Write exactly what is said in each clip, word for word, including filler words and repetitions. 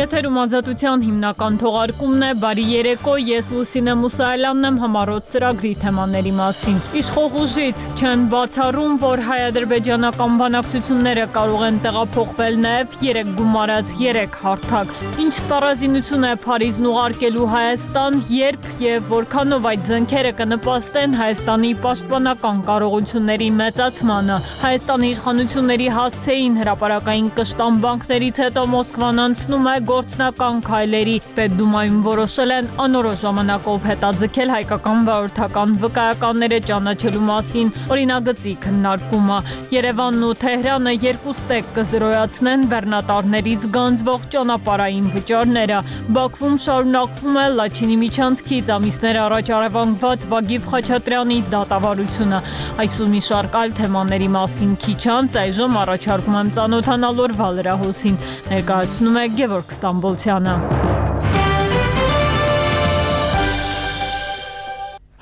Եթերում Ազատության հիմնական թողարկումն է, բարի երեկո, ես Լուսինե Մուսայելյանն եմ համառոտ ծրագրի թեմաների մասին։ Իշխող ուժից չեն բացառում, որ հայ-ադրբեջանական բանակցությունները կարող են տեղափոխվել նաև երեք գումարած երեք հարթակ։ Ինչ ստառազինություն է Փարիզն ուղարկելու Հայաստան, երբ եւ որքանով այդ զենքերը կնպաստեն Հայաստանի պաշտպանական կարողությունների մեծացմանը։ Հայաստանի իշխանությունների հասցեին հրապարակային կշտամբանքներից հետո Մոսկվան անցնում է գործնական քայլերի։ Պետդումայում որոշել են անորոշ ժամանակով հետաձգել հայկական վարորդական վկայականները ճանաչելու մասին օրինագծի քննարկումը։ Երևանն ու Թեհրանը երկու ստեկ կզրոյացնեն բեռնատարներից գանձվող ճանապարհային վճարները։ Բաքվում շարունակվում է Լաչինի միջանցքից ամիսներ առաջ առևանգված Վագիվ Խաչատրյանի դատավարությունը։ Այսօր մի շարք այլ թեմաների մասին քիչ անց այժմ առաջարկում եմ ծանոթանալ օրվա լրահոսին։ Ներկայացնում է Գևորգ Ստամբոլցյանը։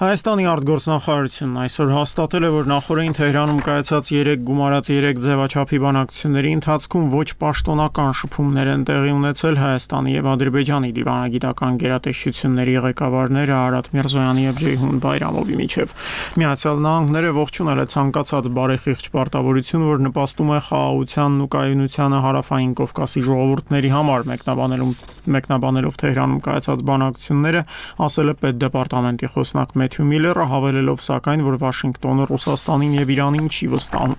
Հայաստանի արտգործնախարարությունն այսօր հաստատել է, որ նախորդին Թեհրանում կայացած երեք գումարած երեք ձևաչափի բանակցությունների ընթացքում ոչ պաշտոնական շփումներ են տեղի ունեցել Հայաստանի եւ Ադրբեջանի դիվանագիտական գերատեսչությունների ղեկավարները Արադ Միրզոյանի եւ Ջեյհուն Բայրամովի միջև։ Միացյալ Նահանգները ողջունել է ցանկացած բարեխիղճ պարտավորություն, որ նպաստում է խաղաղությանն ու կայունությանը Հարավային Կովկասի ժողովուրդների համար, մեկնաբանելով մեկնաբանելով Թեհրանում կայացած բանակցությունները, ասել է պետդեպարտամենտի խոսնակ Մեթյու Միլլերը, հավելելով սակայն, որ Վաշինգտոնը Ռուսաստանին եւ Իրանին չի վստահում։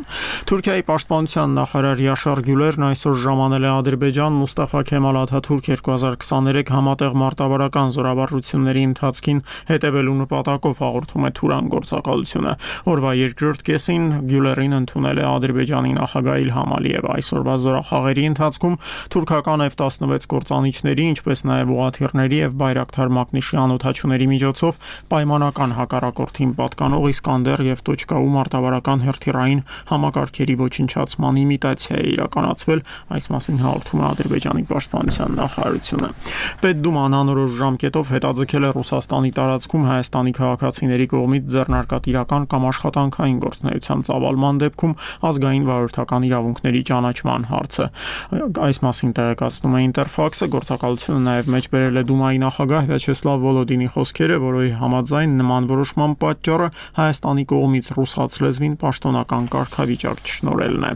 Թուրքիայի պաշտպանության նախարար Յաշար Գյուլերն այսօր ժամանել է Ադրբեջան Մուստաֆա Քեմալ Աթաթուրք երկու հազար քսաներեք համատեղ մարտավարական զորավարժությունների ընթացքին հետևելու նպատակով հաղորդում է Թուրան գործակալությունը։ Օրվա երկրորդ կեսին Գյուլերին ընդունել է Ադրբեջանի նախագահ Իլհամ Ալիևը։ Այսօրվա զորախաղերի ընթացքում թուրքական F տասնվեց կործանիչների, ինչպես նաև ուղաթիռների եւ Բայրակթար մակնիշի անօդաչուների միջոցով պայմանական հակառակորդին պատկանող Իսկանդեր եւ Տոչկաու մարտավարական հրթիռային համակարգերի ոչնչացման իմիտացիա է իրականացվել, այս մասին հաղորդում է Ադրբեջանի պաշտպանության նախարարությունը։ Պետդուման անորոշ ժամկետով հետաձգել է Ռուսաստանի տարածքում Հայաստանի քաղաքացիների կողմից ձեռնարկատիրական կամ աշխատանքային գործունեության ծավալման դեպքում ազգային վարորդական իրավունքների ճանաչման հարցը։ Այս մասին տեղեկացնում է Ինտերֆաքսը, գործակալությունը նաև մեջբերել է Դումայի նախագահ Վյաչեսլավ Վոլոդինի խոսքերը, որի համաձայն նման որոշման պատճառը Հայաստանի կողմից ռուսաց լեզվին պաշտոնական կարգավիճակ չշնորհելն է։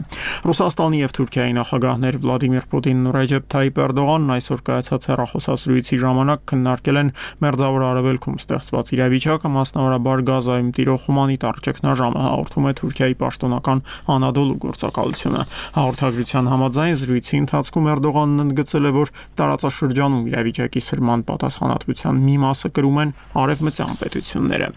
Ռուսաստանի եւ Թուրքիայի նախագահներ Վլադիմիր Պուտինն ու Ռեջեփ Թայիպ Էրդողանն այսօր կայացած հեռախոսազրույցի ժամանակ քննարկել են Մերձավոր Արևելքում ստեղծված իրավիճակը, մասնավորաբար Գազայում տիրող հումանիտար ճգնաժամը, հաղորդում է Թուրքիայի պաշտոնական Անադոլու գործակալությունը։ Հաղորդագրության համաձայն զրույցի ընթացքում Էրդողանն ընդգծել է, որ տարածաշրջանում իրավիճակի սրման պատասխանատվության մի մասը կրում են արևմտյան պետությունները։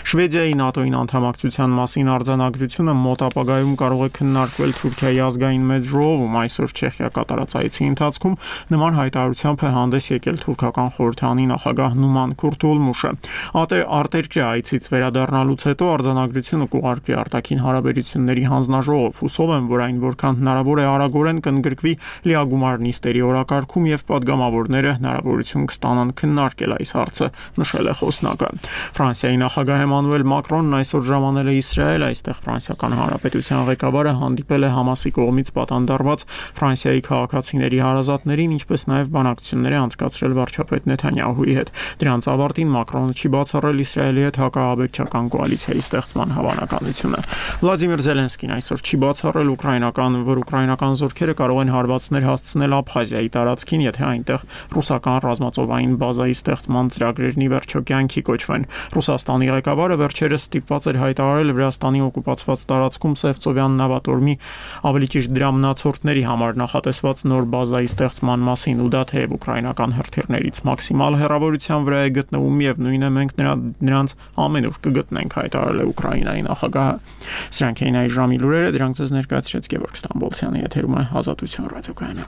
Շվեդիայի ՆԱՏՕ-ին անդամակցության մասին արձանագրությունը մոտ ապագայում կարող է քննարկվել Թուրքիայի ազգային մեծ ժողովում։ Այսօր Չեխիա կատարած այցի ընթացքում նման հայտարարությամբ է հանդես եկել թուրքական խորհրդանի նախագահ Նուման Քուրթուլմուշը։ Արտերկրյա այցից վերադառնալուց հետո արձանագրությունը կուղարկվի արտաքին հարաբերությունների հանձնաժողով։ Հուսով եմ, որ այն որքան հնարավոր է արագորեն կընդգրկվի լիագումար նիստերի օրակարգում եւ պատգամավորները հնարավորություն կստանան քննարկել այս հարցը, նշել է խոսնակը։ Ֆրանսիայի նախագահ Էմանուել Մակրոնն այսօր ժամանել է Իսրայել, այստեղ Ֆրանսիական Հանրապետության ղեկավարը հանդիպել է Համասի կողմից պատանդարված Ֆրանսիայի քաղաքացիների հարազատներին, ինչպես նաև բանակցություններ է անցկացրել վարչապետ Նեթանյահուի հետ։ Դրանց ավարտին Մակրոնը չի բացառել Իսրայելի հետ հակաաբեկչական կոալիցիայի ստեղծման հավանականությունը։ Վլադիմիր Զելենսկին այսօր չի բացառել ուկրաինական, որ ուկրաինական զորքերը կարող են հարվածներ հասցնել Աբխազիայի տարածքին, եթե այնտեղ ռուսական ռազմածովային բազայի ստեղծման ծրագրերն ի վերջո կյանքի կոչվեն։ Ռուսաստանի ղեկավարը վերջերս ստիպված էր հայտարարել Վրաստանի օկուպացված տարածքում Սևծովյան նավատորմի, ավելի ճիշտ դրա մնացորդների համար նախատեսված նոր բազայի ստեղծման մասին, ու դա թեև ուկրաինական հրթիռներից մաքսիմալ հեռավորության վրա է գտնվում եւ նույնը մենք նրա, նրանց ամենուր կգտնենք, հայտարարել է Ուկրաինայի նախագահը։ Սրանք էին այս ժամի լուրերը, դրանք ձեզ ներկայացրեց Գևորգ Ստամբոլցյանը, եթերում է Ազատություն ռադիոկայանը։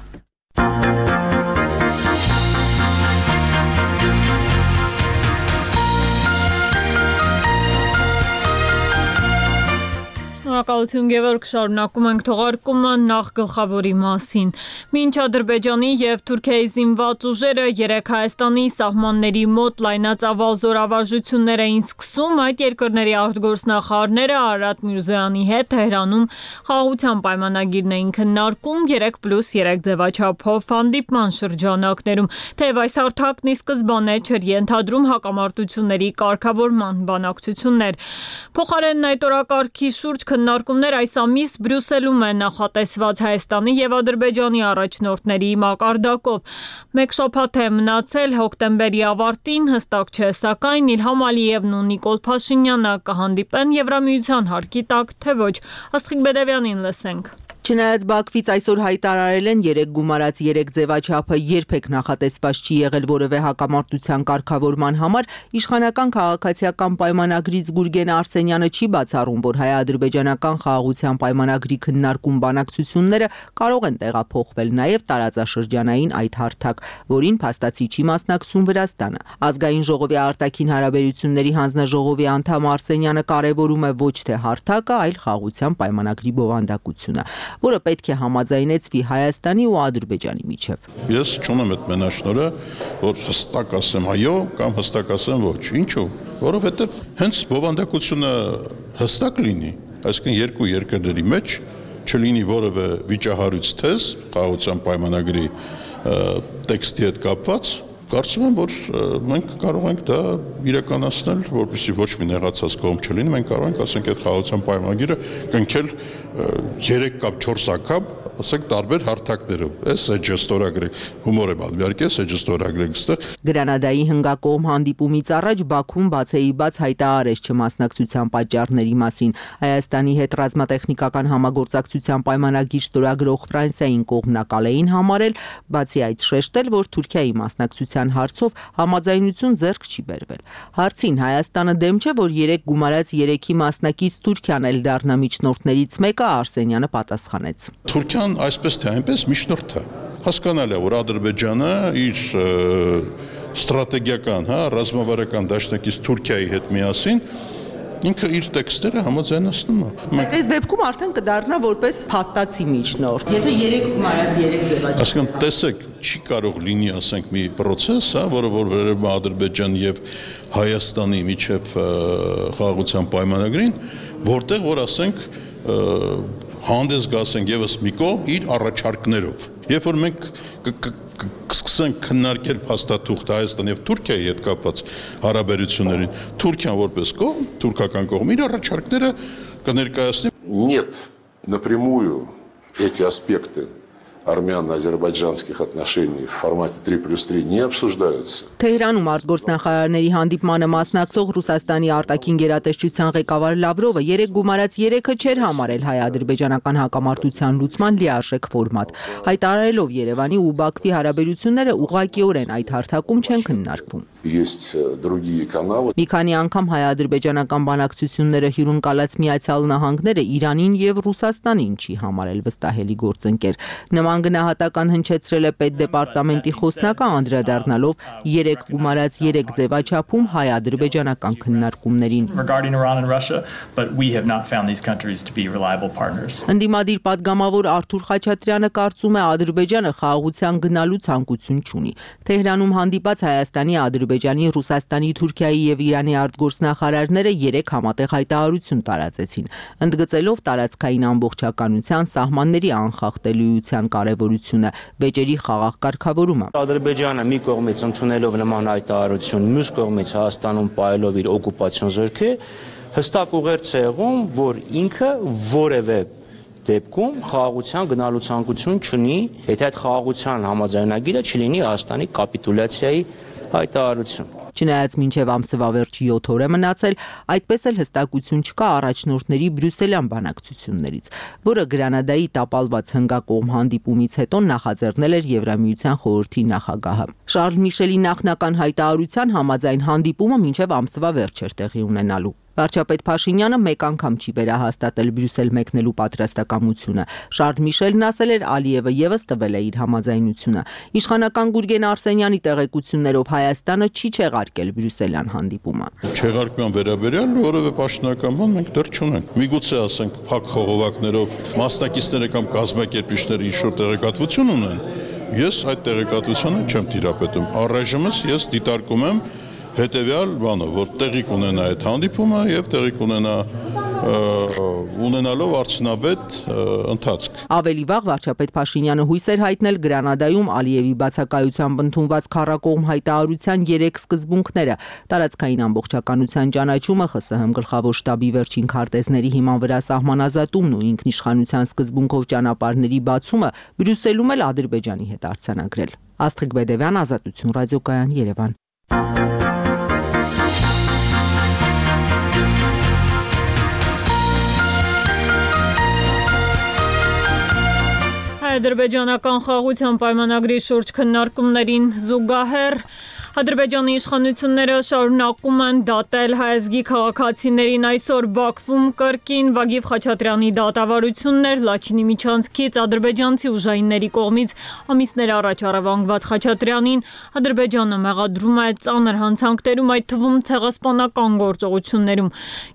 Շնորհակալություն Գևորգ, շարունակում ենք թողարկումը նախ գլխավորի մասին։ Մինչ Ադրբեջանի եւ Թուրքիայի զինված ուժերը երեք Հայաստանի սահմանների մոտ լայնածավալ զորավարժություններ էին սկսում, այդ երկրների արտգործնախարարները Արարատ Միրզոյանի հետ Թեհրանում խաղաղության պայմանագիրն էին քննարկում երեք պլյուս երեք ձևաչափով հանդիպման շրջանակներում, թեև այս հարթակն ի սկզբանե չէր ենթադրում հակամարտությունների կարգավորման բանակցություններ։ Փոխարենն այդ օրակարգի շուրջ քննարկումներ այս ամիս Բրյուսելում են նախատեսված Հայաստանի եւ Ադրբեջանի առաջնորդների մակարդակով։ Մեկ շաբաթ է մնացել հոկտեմբերի ավարտին, հստակ չէ, սակայն Իլհամ Ալիևն ու Նիկոլ Փաշինյանը կհանդիպեն Եվրամիության հարկի տակ, թե ոչ։ Աստղիկ Բեդևյանին լսենք։ Չնայած Բաքվից այսօր հայտարարել են երեք գումարած երեք ձևաչափը երբեք նախատեսված չի եղել որևէ հակամարտության կարգավորման համար, իշխանական քաղաքացիական պայմանագրից Գուրգեն Արսենյանը չի բացառում, որ հայ-ադրբեջանական խաղաղության պայմանագրի քննարկում բանակցությունները կարող են տեղափոխվել նաև տարածաշրջանային այդ հարթակ, որին փաստացի չի մասնակցում Վրաստանը։ Ազգային ժողովի արտաքին հարաբերությունների հանձնաժողովի անդամ Արսենյանը կարևորում է ոչ թե հարթակը, այլ խաղաղության պայմանագրի բովանդակությունը, որը պետք է համաձայնեցվի Հայաստանի ու Ադրբեջանի միջև։ Ես չունեմ այդ մենաշնորհը, որ հստակ ասեմ այո կամ հստակ ասեմ ոչ։ Ինչու՞։ Որովհետև հենց բովանդակությունը հստակ լինի, այսինքն երկու երկրների մեջ չլինի որևէ վիճահարույց թեզ խաղաղության պայմանագրի տեքստի հետ կապված, կարծում եմ, որ մենք կարող ենք դա իրականացնել, որպեսզի ոչ մի նեղացած կողմ չլինի, մենք կարող ենք, ասենք, այդ խաղաղության պայմանագիրը կնքել երեք կամ չորս անգամ, ասենք, տարբեր հարթակներով։ Էս էջը ստորագրեք, հումոր եմ ալու, իհարկե, էս էջը ստորագրեք ստեղ։ Գրանադայի հնգակողմ հանդիպումից առաջ Բաքուն բացեի բաց հայտարարեց չմասնակցության պատճառների մասին։ Հայաստանի հետ ռազմատեխնիկական համագործակցության պայմանագիր ստորագրող Ֆրանսիային կողմնակալ էին համարել, բացի այդ շեշտել, որ Թուրքիայի մասնակցության հարցով համաձայնություն ձեռք չի բերվել։ Հարցին Հայաստանը դեմ չէ, որ երեք գումարած երեքի մասնակից Թուրքիան էլ դառնա միջնորդներից մեկը, Արսենյանը պատասխանեց։ Թուրքիան այսպես թե այնպես միջնորդ է։ Հասկանալի է, որ Ադրբեջանը իր ստրատեգիական, հա, ռազմավարական դաշնակից Թուրքիայի հետ միասին ինքը իր տեքստերը համաձայնացնում է։ Բայց այս դեպքում արդեն կդառնա որպես փաստացի միջնորդ։ Եթե երեք գումարած երեք ձևաչափ։ Այսինքն, տեսեք, չի կարող լինի, ասենք, մի process, հա, որը որ վերաբերում է Ադրբեջանի եւ Հայաստանի միջև խաղաղության պայմանագրին, որտեղ որ ասենք հանդես գասենք եւս մի կողմ իր առաջարկներով։ Երբ որ մենք կսկսենք քննարկել փաստաթուղթ Հայաստանի եւ Թուրքիայի հետ կապված հարաբերություններին, Թուրքիան որպես կողմ, թուրքական կողմ իր առաջարկները կներկայացնի։ Нет, напрямую эти аспекты армяно-азербайджанских отношений в формате три плюс три не обсуждаются. Թեհրանում արտգործնախարարների հանդիպմանը մասնակցող Ռուսաստանի արտաքին գերատեսչության ղեկավար Լավրովը երեք գումարած երեքը չէր համարել հայ-ադրբեջանական հակամարտության լուծման լիարժեք ֆորմատ, հայտարարելով Երևանի ու Բաքվի հարաբերությունները ուղղակիորեն այդ հարթակում չեն քննարկվում։ Есть другие каналы. Մի քանի անգամ հայ-ադրբեջանական բանակցությունները հյուրընկալած Միացյալ Նահանգները Իրանին եւ Ռուսաստանին չի համարել վստահելի գործընկեր։ Նման գնահատական հնչեցրել է պետդեպարտամենտի խոսնակը անդրադառնալով երեք գումարած երեք ձևաչափում հայ-ադրբեջանական քննարկումներին։ Ընդդիմադիր պատգամավոր Արթուր Խաչատրյանը կարծում է Ադրբեջանը խաղաղության գնալու ցանկություն չունի։ Թեհրանում հանդիպած Հայաստանի, Ադրբեջանի, Ռուսաստանի, Թուրքիայի եւ Իրանի արտգործնախարարները երեք համատեղ հայտարարություն տարածեցին, ընդգծելով տարածքային ամբողջականության, սահմանների անխախտելիության կարևորությունը, վեճերի խաղաղ կարգավորումը։ Ադրբեջանը մի կողմից ընդունելով նման հայտարարություն, մյուս կողմից Հայաստանում պայելով իր օկուպացիոն զորքը, հստակ ուղերձ է եղում, որ ինքը որևէ դեպքում խաղաղության գնալու ցանկություն չունի, եթե այդ խաղաղության համաձայնագիրը չլինի Հայաստանի կապիտուլյացիայի հայտարարություն։ Չնայած մինչև ամսվա վերջի յոթ օր է մնացել, այդպես էլ հստակություն չկա առաջնորդների բրյուսելյան բանակցություններից, որը Գրանադայի տապալված հնգակողմ հանդիպումից հետո նախաձեռնել էր Եվրամիության խորհրդի նախագահը։ Շարլ Միշելի նախնական հայտարարության համաձայն հանդիպումը մինչև ամսվա վերջ էր տեղի ունենալու։ Վարչապետ Փաշինյանը մեկ անգամ չի վերահաստատել Բրյուսել մեկնելու պատրաստակամությունը։ Շարլ Միշելն ասել էր, Ալիևը եւս տվել է իր համաձայնությունը։ Իշխանական Գուրգեն Արսենյանի տեղեկություններով Հայաստանը չի չեղարկել Բրյուսելյան հանդիպումը։ Չեղարկման վերաբերյալ որևէ պաշտոնական բան մենք դեռ չունենք։ Միգուցե ասենք փակ խողովակներով մասնակիցները կամ կազմակերպիչները ինչ-որ տեղեկատվություն ունեն։ Ես այդ տեղեկատվությունը չեմ տիրապետում։ Առայժմս ես դիտարկում եմ հետևյալ բանը, որ տեղի կունենա այդ հանդիպումը եւ տեղի կունենա ունենալով արդյունավետ ընթացք։ Ավելի վաղ վարչապետ Փաշինյանը հույս էր հայտնել Գրանադայում Ալիևի բացակայությամբ ընդունված քառակողմ հայտարարության երեք սկզբունքները՝ տարածքային ամբողջականության ճանաչումը, ԽՍՀՄ գլխավոր շտաբի վերջին քարտեզների հիման վրա սահմանազատումն ու ինքնիշխանության սկզբունքով ճանապարհների բացումը Բրյուսելում էլ Ադրբեջանի հետ արձանագրել։ Աստղիկ Բեդևյան, Ազատություն ռադիոկայան, Երևան։ Ադրբեջանական խաղաղության պայմանագրի շուրջ քննարկումներին զուգահեռ Ադրբեջանի իշխանությունները շարունակում են դատել հայ ազգի քաղաքացիներին այսօր Բաքվում կրկին Վագիվ Խաչատրյանի դատավարություններ Լաչինի միջանցքից ադրբեջանցի ուժայինների կողմից ամիսներ առաջ առևանգված Խաչատրյանին Ադրբեջանը մեղադրում է ծանր հանցանքներում, այդ թվում ցեղասպանական գործողություններում։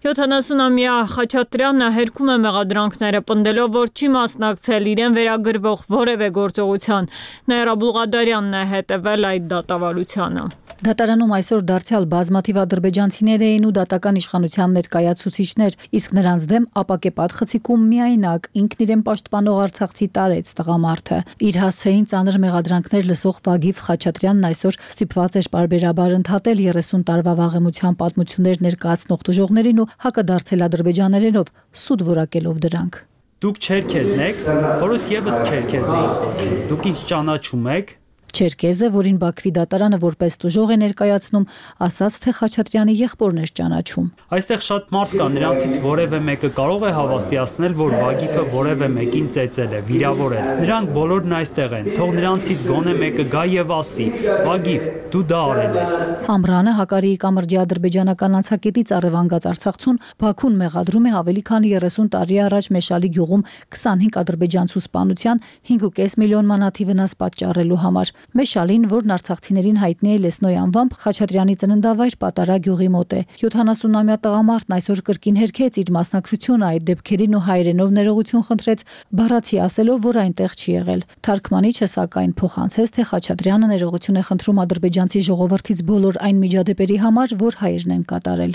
յոթանասունամյա Խաչատրյանը հերքում է մեղադրանքները, պնդելով, որ չի մասնակցել իրեն վերագրվող որևէ գործողության։ Նաիրա Բուլղադարյանն է հետևել այդ դատավարությանը։ Դատարանում այսօր դարձյալ բազմաթիվ ադրբեջանցիներ էին ու դատական իշխանության ներկայացուցիչներ, իսկ նրանց դեմ ապակեպատ խցիկում միայնակ ինքն իրեն պաշտպանող արցախցի տարեց տղամարդը։ Իր հասցեին ծանր մեղադրանքներ լսող Վագիվ Խաչատրյանն այսօր ստիպված էր պարբերաբար ընդհատել երեսուն տարվա վաղեմության պատմություններ ներկայացնող տուժողներին ու հակադարձել ադրբեջաներենով, սուտ որակելով դրանք։ Դուք չերքեզն եք, որս եւս չերքեզ էի։ Դուք ինձ ճանաչում եք։ Չերկեզը, որին Բաքվի դատարանը որպես տուժող է ներկայացնում, ասաց, թե Խաչատրյանի եղբորն էր ճանաչում։ Այստեղ շատ մարդ կա, նրանցից որևէ մեկը կարող է հավաստիացնել, որ Վագիվը որևէ մեկին ծեծել է, վիրավորել։ Նրանք բոլորն այստեղ են, թող նրանցից գոնե մեկը գա եւ ասի. Վագիվ, դու դա արել ես։ Ամռանը Հակարիի կամրջի ադրբեջանական անցակետից առևանգած Արցախցուն Բաքուն մեղադրում է ավելի քան երեսուն տարի առաջ Մեշալի գյուղում քսանհինգ ադրբեջանցու սպանության հինգ ու կես միլիոն մանաթի վնաս պատճառելու համար։ Մեշալին, որն արցախցիներին հայտնի է Լեսնոյ անվամբ, Խաչատրյանի ծննդավայր Պատարագ գյուղի մոտ է։ յոթանասունամյա տղամարդն այսօր կրկին հերքեց իր մասնակցությունը այդ դեպքերին ու հայերենով ներողություն խնդրեց, բառացի ասելով, որ այնտեղ չի եղել։ Թարգմանիչը սակայն փոխանցեց, թե Խաչատրյանը ներողություն է խնդրում ադրբեջանցի ժողովրդից բոլոր այն միջադեպերի համար, որ հայերն են կատարել։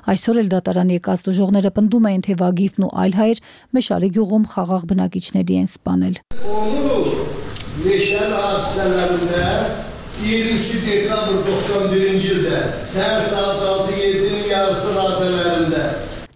Այսօր էլ դատարանի եկած տուժողները պնդում էին, թե Վագիվն ու այլ հայեր Մեշալի գյուղում խաղաղ բնակիչների են սպանել։ Meşal hadiselerinde yirmi dekabr doksan birinci ildə səhər saat altı yedinin yarısı radələrində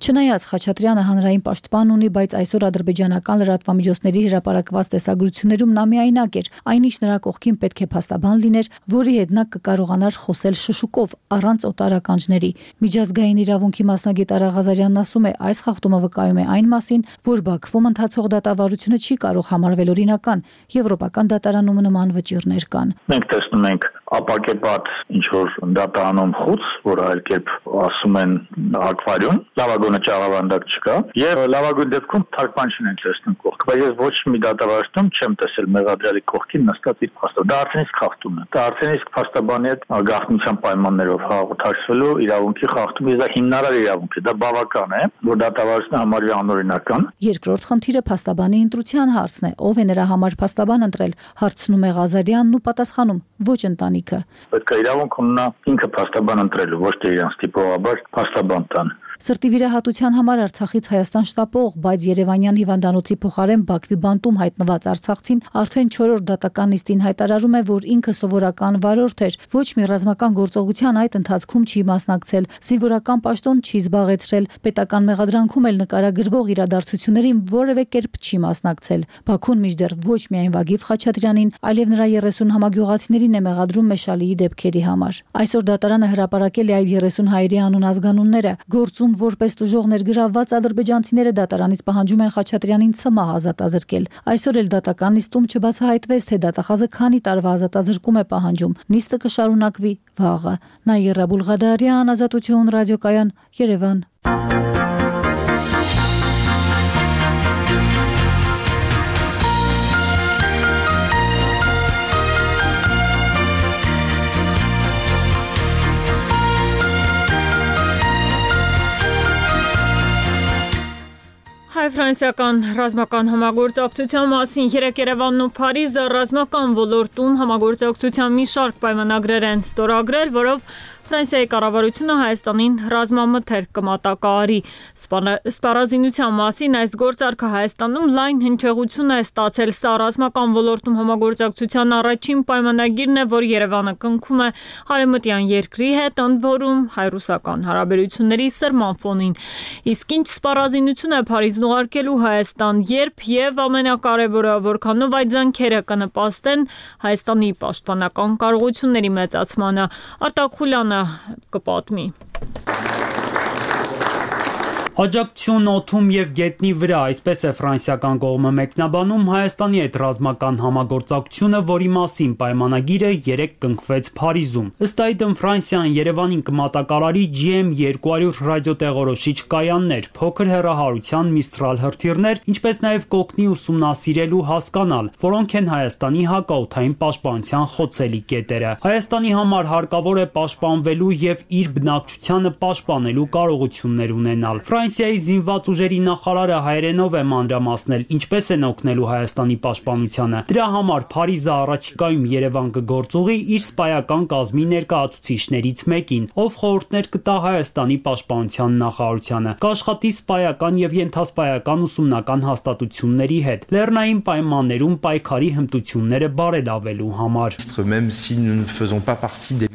Չնայած Խաչատրյանը հանրային պաշտպան ունի, բայց այսօր ադրբեջանական լրատվամիջոցների հրապարակված տեսագրություններում նա միայնակ էր, այնինչ նրա կողքին պետք է փաստաբան լիներ, որի հետ նա կկարողանար խոսել շշուկով, առանց օտար ականջների։ Միջազգային իրավունքի մասնագետ Արա Ղազարյանն ասում է, այս խախտումը վկայում է այն մասին, որ Բաքվում ընթացող դատավարությունը չի կարող համարվել օրինական, եվրոպական դատարանում նման վճիռներ կան։ Մենք տեսնում ենք ապակեպատ ինչ որ դատարանում խոց, որ այլ կերպ ասում են ակվարիում, լավագույնը ճաղավանդակ չկա, եւ լավագույն դեպքում թարգմանչին են տեսնում կողք, բայց ես ոչ մի դատավարում չեմ տեսել մեղադրյալի կողքին նստած իր փաստը։ Դա արդեն իսկ խախտում է։ Դա արդեն իսկ փաստաբանի հետ գաղտնիության պայմաններով հաղորդակցվելու իրավունքի խախտում է, դա հիմնարար իրավունք է, դա բավական է, որ դատավարությունը համարվի անօրինական։ Երկրորդ խնդիրը փաստաբանի ընտրության հարցն է, ով է նրա համար փաստաբան ընտրել, հարցնում է Ղազարյանն ու պատասխանում՝ ոչ ընտանիքը։ Պետք է իրավունք ունենա ինքը փաստաբան ընտրելու, ոչ թե իրան ստիպողաբար փաստաբան տան։ Սրտի վիրահատության համար Արցախից Հայաստան շտապող, բայց Երևանյան հիվանդանոցի փոխարեն Բաքվի բանտում հայտնված արցախցին արդեն չորրորդ դատական նիստին հայտարարում է, որ ինքը սովորական վարորդ էր, ոչ մի ռազմական գործողության այդ ընթացքում չի մասնակցել, զինվորական պաշտոն չի զբաղեցրել, պետական մեղադրանքում էլ նկարագրվող իրադարձություններին որևէ կերպ չի մասնակցել։ Բաքուն մինչդեռ ոչ միայն Վագիվ Խաչատրյանին, այլև նրա երեսուն համագյուղացիներին է մեղադրում Մեշալիի դեպքերի համար։ Այսօր դատարանը հրապարակել է այդ երեսուն հայերի անուն ազգանունները, գործում Հայաստանում որպես տուժող ներգրավված ադրբեջանցիները դատարանից պահանջում են Խաչատրյանին ցմահ ազատազրկել։ Այսօր էլ դատական նիստում չբացահայտվեց, թե դատախազը քանի տարվա ազատազրկում է պահանջում։ Նիստը կշարունակվի վաղը։ Նաիրա Բուլղադարյան, Ազատություն ռադիոկայան, Երևան։ Հայ-ֆրանսիական ռազմական համագործակցության մասին երեկ Երևանն ու Փարիզը ռազմական ոլորտում համագործակցության մի շարք պայմանագրեր են ստորագրել, որով Ֆրանսիայի կառավարությունը Հայաստանին ռազմամթերք կմատակարարի։ Սպառազինության մասին այս գործարքը Հայաստանում լայն հնչեղություն է ստացել։ Սա ռազմական ոլորտում համագործակցության առաջին պայմանագիրն է, որ Երևանը կնքում է հարևմտյան երկրի հետ, ընդ որում հայ-ռուսական հարաբերությունների սրման ֆոնին։ Իսկ ինչ սպառազինություն է Փարիզն ուղարկելու Հայաստան, երբ եւ ամենակարևորը, որքանով այդ զենքերը կնպաստեն Հայաստանի պաշտպանական կարողությունների մեծացմանը։ Արտակ Խուլյանը կպատմի։ Աջակցություն օդում եւ գետնի վրա, այսպես է ֆրանսիական կողմը մեկնաբանում Հայաստանի հետ ռազմական համագործակցությունը, որի մասին պայմանագիրը երեկ կնքվեց Փարիզում։ Ըստ այդմ Ֆրանսիան Երևանին կմատակարարի G M երկու հարյուր ռադիոտեղորոշիչ կայաններ, փոքր հեռահարության Mistral հրթիռներ, ինչպես նաեւ կօգնի ուսումնասիրել ու հասկանալ, որոնք են Հայաստանի հակաօդային պաշտպանության խոցելի կետերը։ Հայաստանի համար հարկավոր է պաշտպանվելու եւ իր բնակչությանը պաշտպանելու կարողություններ ունենալ։ Ֆրանսիայի զինված ուժերի նախարարը հայերենով է մանրամասնել, ինչպես են օգնելու Հայաստանի պաշտպանությանը։ Դրա համար Փարիզը առաջիկայում Երևան կգործուղի իր սպայական կազմի ներկայացուցիչներից մեկին, ով խորհուրդներ կտա Հայաստանի պաշտպանության նախարարությանը, կաշխատի սպայական եւ ենթասպայական ուսումնական հաստատությունների հետ, լեռնային պայմաններում պայքարի հմտությունները բարելավելու համար։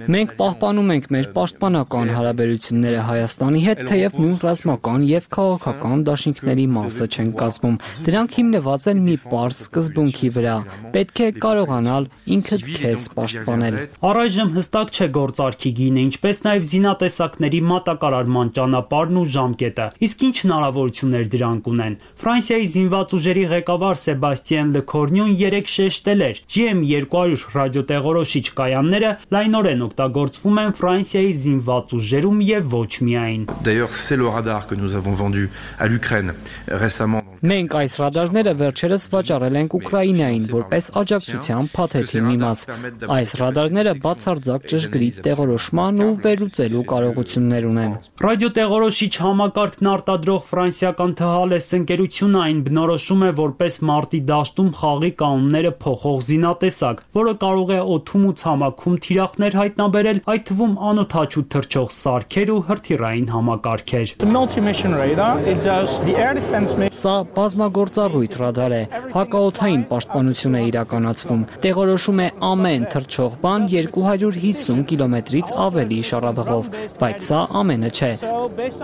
Մենք պահպանում ենք մեր պաշտպանական հարաբերությունները Հայաստանի հետ, թեև նույն ռազմական եւ քաղաքական դաշինքների մասը չեն կազմում։ Դրանք հիմնված են մի պարզ սկզբունքի վրա։ Պետք է կարողանալ ինքդ քեզ պաշտպանել։ Առայժմ հստակ չէ գործարքի գինը, ինչպես նաեւ զինատեսակների մատակարարման ճանապարհն ու ժամկետը։ Իսկ ինչ հնարավորություններ դրանք ունեն։ Ֆրանսիայի զինված ուժերի ղեկավար Սեբաստիան Լեքորնյուն երեկ շեշտել էր, G M երկու հարյուր ռադիոտեղորոշիչ կայանները լայնորեն օգտագործվում են Ֆրանսիայի զինված ուժերում եւ ոչ միայն։ Nous avons vendu à l'Ukraine récemment. Մենք այս ռադարները վերջերս վաճառել ենք Ուկրաինային որպես աջակցության փաթեթի մի մաս։ Այս ռադարները բացարձակ ճշգրիտ տեղորոշման ու վերլուծելու կարողություններ ունեն։ Ռադիոտեղորոշիչ համակարգն արտադրող ֆրանսիական Thales ընկերությունը այն բնորոշում է որպես մարտի դաշտում խաղի կանոնները փոխող զինատեսակ, որը կարող է օդում ու ցամաքում թիրախներ հայտնաբերել, այդ թվում անօդաչու թռչող սարքեր ու հրթիռային համակարգեր։ Սա բազմագործառույթ ռադար է, հակաօդային պաշտպանություն է իրականացվում, տեղորոշում է ամեն թռչող բան երկու հարյուր հիսուն կիլոմետրից ավելի շառավղով, բայց սա ամենը չէ։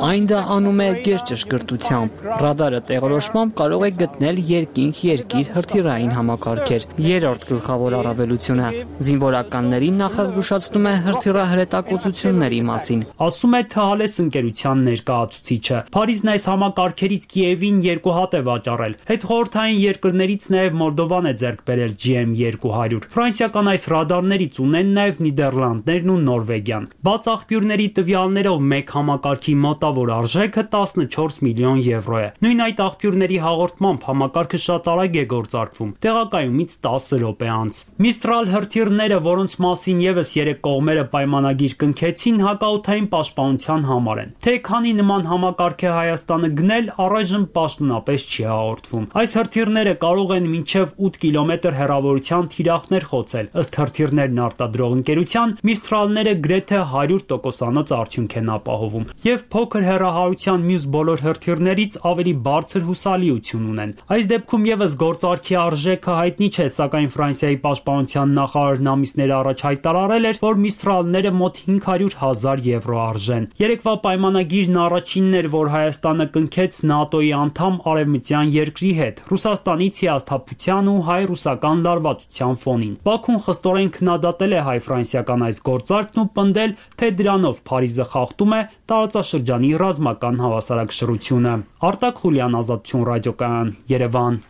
Այն դա անում է գերճշգրտությամբ։ Ռադարը տեղորոշմամբ կարող է գտնել երկինք-երկիր հրթիռային համակարգեր։ Երրորդ գլխավոր առավելությունը զինվորականներին նախազգուշացնում է հրթիռահրետակոծությունների մասին։ Ասում է Thales ընկերության ներկայացուցիչը։ Փարիզն այս համակարգերից Կիևին երկու հատ է վաճառել։ Հետխորհրդային երկրներից նաև Մոլդովան է ձեռք բերել G M երկու հարյուր։ Ֆրանսիական այս ռադարներից ունեն նաև Նիդերլանդներն ու Նորվեգիան։ Բաց աղբյուրների տվյալներով մեկ համակարգի մոտավոր արժեքը տասնչորս միլիոն եվրո է։ Նույն այդ աղբյուրների հաղորդմամբ համակարգը շատ արագ է գործարկվում, տեղակայումից տասը րոպե անց։ Mistral հրթիռները, որոնց մասին եւս երեք կողմերը պայմանագիր կնքեցին, հակաօդային պաշտպանության համար են։ Թե քանի նման համակարգ է Հայաստանը գնել, առայժմ պաշտոնապես չի հաղորդվում։ Այս հրթիռները կարող են մինչև ութ կիլոմետր հեռավորության թիրախներ խոցել։ Ըստ հրթիռներն արտադրող ընկերության, Mistral-ները գրեթե հարյուր տոկոսանոց արդյունք են ապահովում եւ փոքր հեռահարության մյուս բոլոր հրթիռներից ավելի բարձր հուսալիություն ունեն։ Այս դեպքում եւս գործարքի արժեքը հայտնի չէ, սակայն Ֆրանսիայի պաշտպանության նախարարն ամիսներ առաջ հայտարարել էր, որ Mistral-ները մոտ հինգ հարյուր հազար եվրո արժեն։ Երեկվա պայմանագիրն առաջինն էր, որ Հայաստանը կնքեց ՆԱՏՕ-ի անդամ արևմտյան երկրի հետ, Ռուսաստանից հիասթափության ու հայ-ռուսական լարվածության ֆոնին։ Բաքուն խստորեն քննադատել է հայ-ֆրանսիական այս գործարքն ու պնդել, թե դրանով Փարիզը խախտում է տարածաշրջանային տարածաշրջանի ռազմական հավասարակշռությունը։ Արտակ Խուլյան, Ազատություն ռադիոկայան, Երևան։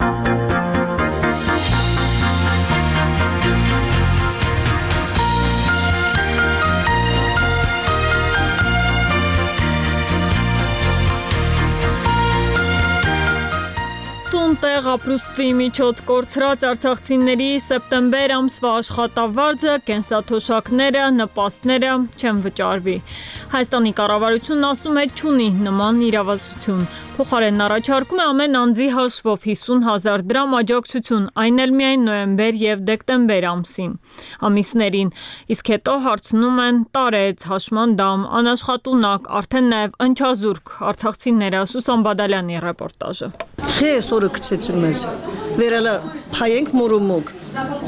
Տեղ ապրուստի միջոց կորցրած արցախցիների սեպտեմբեր ամսվա աշխատավարձը, կենսաթոշակները, նպաստները չեն վճարվի։ Հայաստանի կառավարությունն ասում է չունի նման իրավասություն։ Փոխարենն առաջարկում է ամեն անձի հաշվով հիսուն հազար դրամ աջակցություն, այն էլ միայն նոյեմբեր եւ դեկտեմբեր ամսին ամիսներին։ Իսկ հետո հարցնում են տարեց, հաշմանդամ, անաշխատունակ, արդեն նաեւ ընչազուրկ արցախցիները։ Սուսան Բադալյանի ռեպորտաժը։ Խես օրը գցեցին մեզ։ Վերալա փայենք մուրումուկ։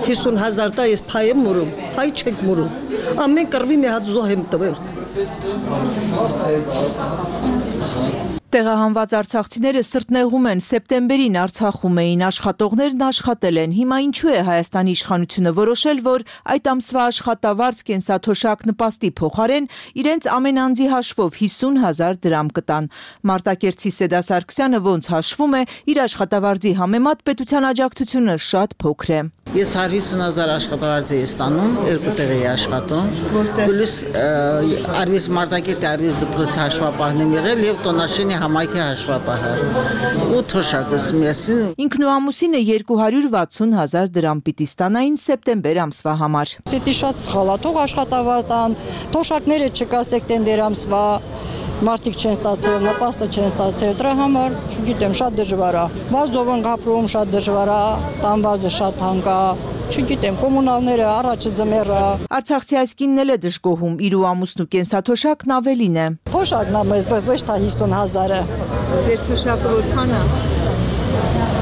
հիսուն հազար տա ես փայեմ մուրում, փայ չեք մուրում։ Ամեն կռվի մի հատ զոհ եմ տվել։ Տեղահանված արցախցիները սրտնեղում են, սեպտեմբերին Արցախում էին, աշխատողներն աշխատել են։ Հիմա ինչու է Հայաստանի իշխանությունը որոշել, որ այդ ամսվա աշխատավարձ, կենսաթոշակ, նպաստի փոխարեն իրենց ամեն անձի հաշվով հիսուն հազար դրամ կտան։ Մարտակերտցի Սեդա Սարգսյանը ոնց հաշվում է, իր աշխատավարձի համեմատ պետության աջակցությունը շատ փոքր է։ Ես հարյուր հիսուն հազար աշխատավարձ եմ ստանում, երկու տեղ եմ աշխատում։ Պլյուս արվես Մարտակերտի արվես դպրոցի հաշվապահն եմ եղել եւ Տոնաշենի համայնքի հաշվապահը։ Ու թոշակս միասին։ Ինքն ու ամուսինը երկու հարյուր վաթսուն հազար դրամ պիտի ստանային սեպտեմբեր ամսվա համար։ Սետի շատ սխալ է, թող աշխատավարձ տան, թոշակները չկա սեպտեմբեր ամսվա, մարդիկ չեն ստացել, նպաստը չեն ստացել, դրա համար, չգիտեմ, շատ դժվար է։ Վարձով են ապրում, շատ դժվար է, տանվարձը շատ հանք է, չգիտեմ, կոմունալները առաջը ձմեռը։ Արցախցի այս կինն էլ է դժգոհում, իր ու ամուսնու կենսաթոշակն ավելին է։ Թոշակն է մեզ, ոչ թե հիսուն հազարը։ Ձեր թոշակը որքան է։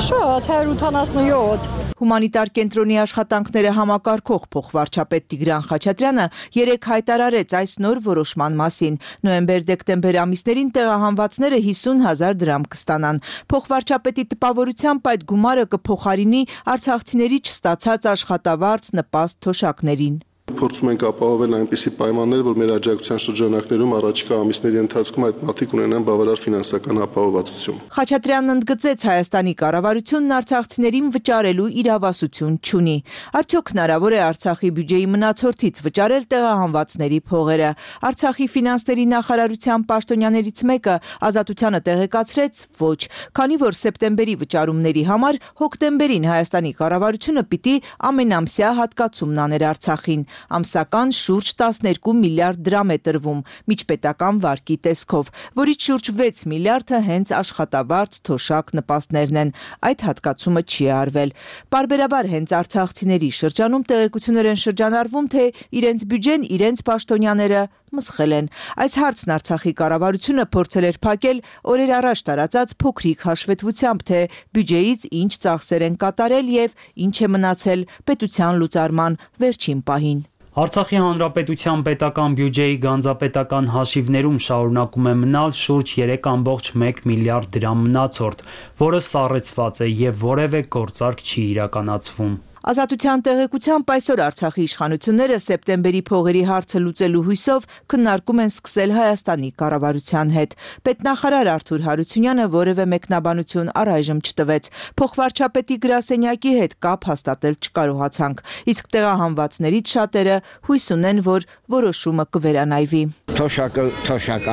Շատ, հարյուր ութանասունյոթ։ Հումանիտար կենտրոնի աշխատանքները համակարգող փոխվարչապետ Տիգրան Խաչատրյանը երեկ հայտարարեց այս նոր որոշման մասին։ Նոյեմբեր-դեկտեմբեր ամիսներին տեղահանվածները հիսուն հազար դրամ կստանան։ Փոխվարչապետի տպավորությամբ այդ գումարը կփոխարինի արցախցիների չստացած աշխատավարձ, նպաստ թոշակներին։ Փորձում ենք ապահովել այնպիսի պայմաններ, որ մեր աջակցության շրջանակներում առաջիկա ամիսների ընթացքում այդ մարդիկ ունենան բավարար ֆինանսական ապահովվածություն։ Խաչատրյանն ընդգծեց, Հայաստանի կառավարությունն արցախցիներին վճարելու իրավասություն չունի։ Արդյոք հնարավոր է Արցախի բյուջեի մնացորդից վճարել տեղահանվածների փողերը։ Արցախի ֆինանսների նախարարության պաշտոնյաներից մեկը Ազատությանը տեղեկացրեց, ոչ, քանի որ սեպտեմբերի վճարումների համար հոկտեմբերին Հայաստանի կառավարությունը պիտի ամենամսյա հատկացումն աներ Արցախին։ Ամսական շուրջ տասներկու միլիարդ դրամ է տրվում միջպետական վարկի տեսքով, որից շուրջ վեց միլիարդը հենց աշխատավարձ, թոշակ, նպաստներն են։ Այդ հատկացումը չի արվել։ Պարբերաբար հենց արցախցիների շրջանում տեղեկություններ են շրջանառվում, թե իրենց բյուջեն, իրենց պաշտոնյաները մսխել են։ Այս հարցն Արցախի կառավարությունը փորձել էր փակել օրեր առաջ տարածած փոքրիկ հաշվետվությամբ, թե բյուջեից ինչ ծախսեր են կատարել եւ ինչ է մնացել պետության լուծարման վերջին պահին։ Արցախի հանրապետության պետական բյուջեի գանձապետական հաշիվներում շարունակում է մնալ շուրջ երեք ամբողջ մեկ միլիարդ դրամ մնացորդ, որը սառեցված է եւ որևէ գործարք չի իրականացվում։ Ազատության տեղեկությամբ այսօր Արցախի իշխանությունները սեպտեմբերի փողերի հարցը լուծելու հույսով քննարկում են սկսել Հայաստանի կառավարության հետ։ Պետնախարար Արթուր Հարությունյանը որևէ մեկնաբանություն առայժմ չտվեց։ Փոխվարչապետի գրասենյակի հետ կապ հաստատել չկարողացանք, իսկ տեղահանվածներից շատերը հույս ունեն, որ որոշումը կվերանայվի։ Թոշակը, թոշակը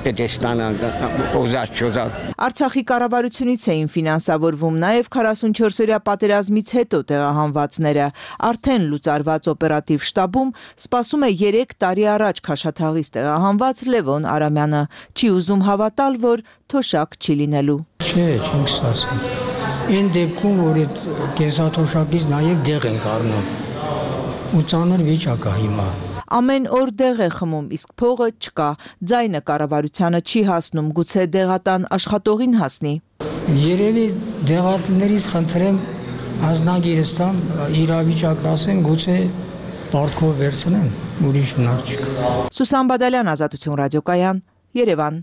պետք է ստանալ, օզած չոզած։ Արցախի կառավարությունից էին ֆինանսավորվում նաև քառասունչորսօրյա պատերազմից հետո տեղահանվածները։ Արդեն լուծարված օպերատիվ շտաբում սպասում է երեք տարի առաջ Քաշաթաղից տեղահանված Լևոն Արամյանը։ Չի ուզում հավատալ, որ թոշակ չի լինելու։ Չէ, չենք ստացել։ Այն դեպքում, որ այդ կենսաթոշակից նաև դեղ ենք առնում։ Ու ծանր վիճակ է հիմա։ Ամեն օր դեղ է խմում, իսկ փողը չկա։ Ձայնը կառավարությանը չի հասնում, գուցե դեղատան աշխատողին հասնի։ Երևի դեղատներից խնդրեմ ազնագիրս տամ, իրավիճակն ասեն, գուցե պարտքով վերցնեմ, ուրիշ հնար չկա։ Սուսան Բադալյան, Ազատություն ռադիոկայան, Երևան։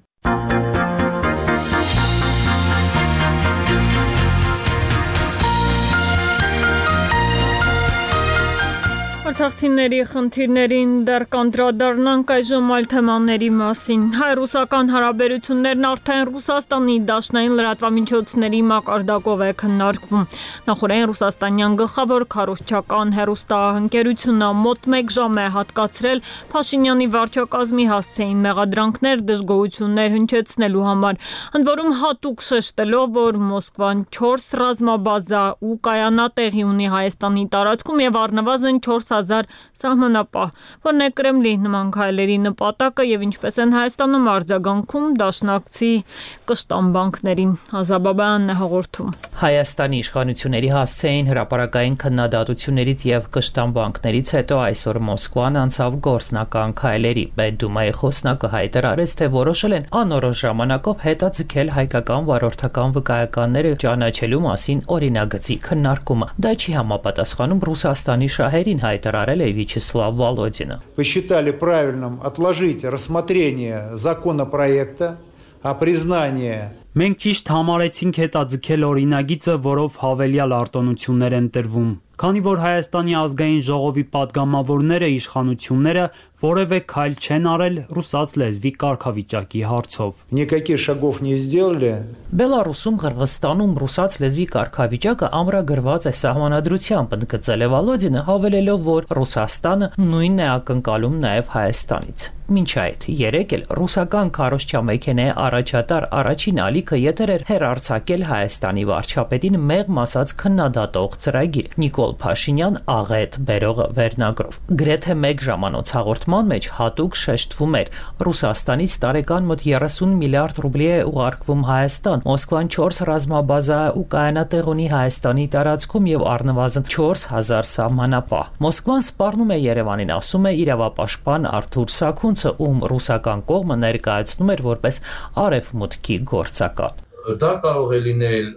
Արցախցիների խնդիրներին դեռ կանդրադառնանք այժմ այլ թեմաների մասին։ Հայ-ռուսական հարաբերություններն արդեն Ռուսաստանի դաշնային լրատվամիջոցների մակարդակով է քննարկվում։ Նախորդին ռուսաստանյան գլխավոր քարոզչական հեռուստաընկերությունը մոտ մեկ ժամ է հատկացրել Փաշինյանի վարչակազմի հասցեին մեղադրանքներ դժգոհություններ հնչեցնելու համար, ընդ որում հատուկ շեշտելով, որ Մոսկվան չորս ռազմաբազա ու կայանատեղի ունի Հայաստանի տարածքում եւ առնվազն չորս հազար սահմանապահ, որն է Կրեմլի նման քայլերի նպատակը եւ ինչպես են Հայաստանում արձագանքում դաշնակցի կշտամբանքներին։ Ազաբաբյանն է հաղորդում։ Հայաստանի իշխանությունների հասցեին հրապարակային քննադատություններից եւ կշտամբանքներից հետո այսօր Մոսկվան անցավ գործնական քայլերի։ Պետդումայի խոսնակը հայտարարեց, թե որոշել են անորոշ ժամանակով հետաձգել հայկական վարորդական վկայականները ճանաչելու մասին օրինագծի քննարկումը։ Դա չի համապատասխանում Ռուսաստանի շահերին, հայտարարել է Վячеслав Володин. Посчитали правильным отложить рассмотрение законопроекта о признании. Մենք ճիշտ համարեցինք հետաձգել օրինագիծը, որով հավելյալ արտոնություններ են տրվում։ Քանի որ Հայաստանի ազգային ժողովի падգամավորները իշխանությունները որևէ քայլ չեն արել ռուսաց լեզվի կարգավիճակի հարցով։ Никаких шагов не сделали. Բելարուսում, Қырғызստանում ռուսաց լեզվի կարգավիճակը ամրագրված է սահմանադրությամբ, ընդգծել է Վալոդինը, հավելելով, որ Ռուսաստանը նույնն է ակնկալում նաև Հայաստանից։ Մինչ այդ երեկ էլ ռուսական քարոզչամեքենայի առաջատար առաջին ալիքը եթեր էր հեռարձակել Հայաստանի վարչապետին մեղմ ասած քննադատող ծրագիր Նիկոլ Փաշինյան աղետ բերողը վերնագրով։ Գրեթե մեկ ժամանոց հաղորդման մեջ հատուկ շեշտվում էր Ռուսաստանից տարեկան մոտ երեսուն միլիարդ ռուբլի է ուղարկվում Հայաստան, Մոսկվան չորս ռազմաբազա ու կայանատեղ ունի Հայաստանի տարածքում եւ առնվազն չորս հազար սահմանապահ։ Մոսկվան սպառնում է Երևանին, ասում է իրավապաշտպան Արթուր Սաքունցը, ում ռուսական կողմը ներկայացնում էր որպես արևմուտքի գործական։ Դա կարող է լինել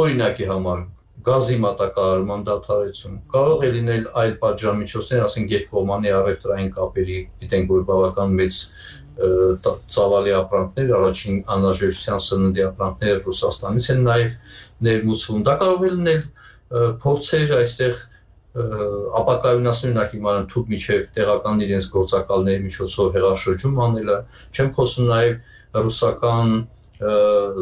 օրինակի համար գազի մատակարարման դադարեցում, կարող է լինել այլ պատժամիջոցներ, ասենք երկկողմանի առևտրային կապերի, գիտենք, որ բավական մեծ ծավալի ապրանքներ, առաջին անհրաժեշտության սննդի ապրանքներ Ռուսաստանից են նաև ներմուծվում։ Դա կարող է լինել փորձեր այստեղ ապակայունացնել նախ հիմա թուք միջև տեղական իրենց գործակալների միջոցով հեղաշրջում անելը, չեմ խոսում նաև ռուսական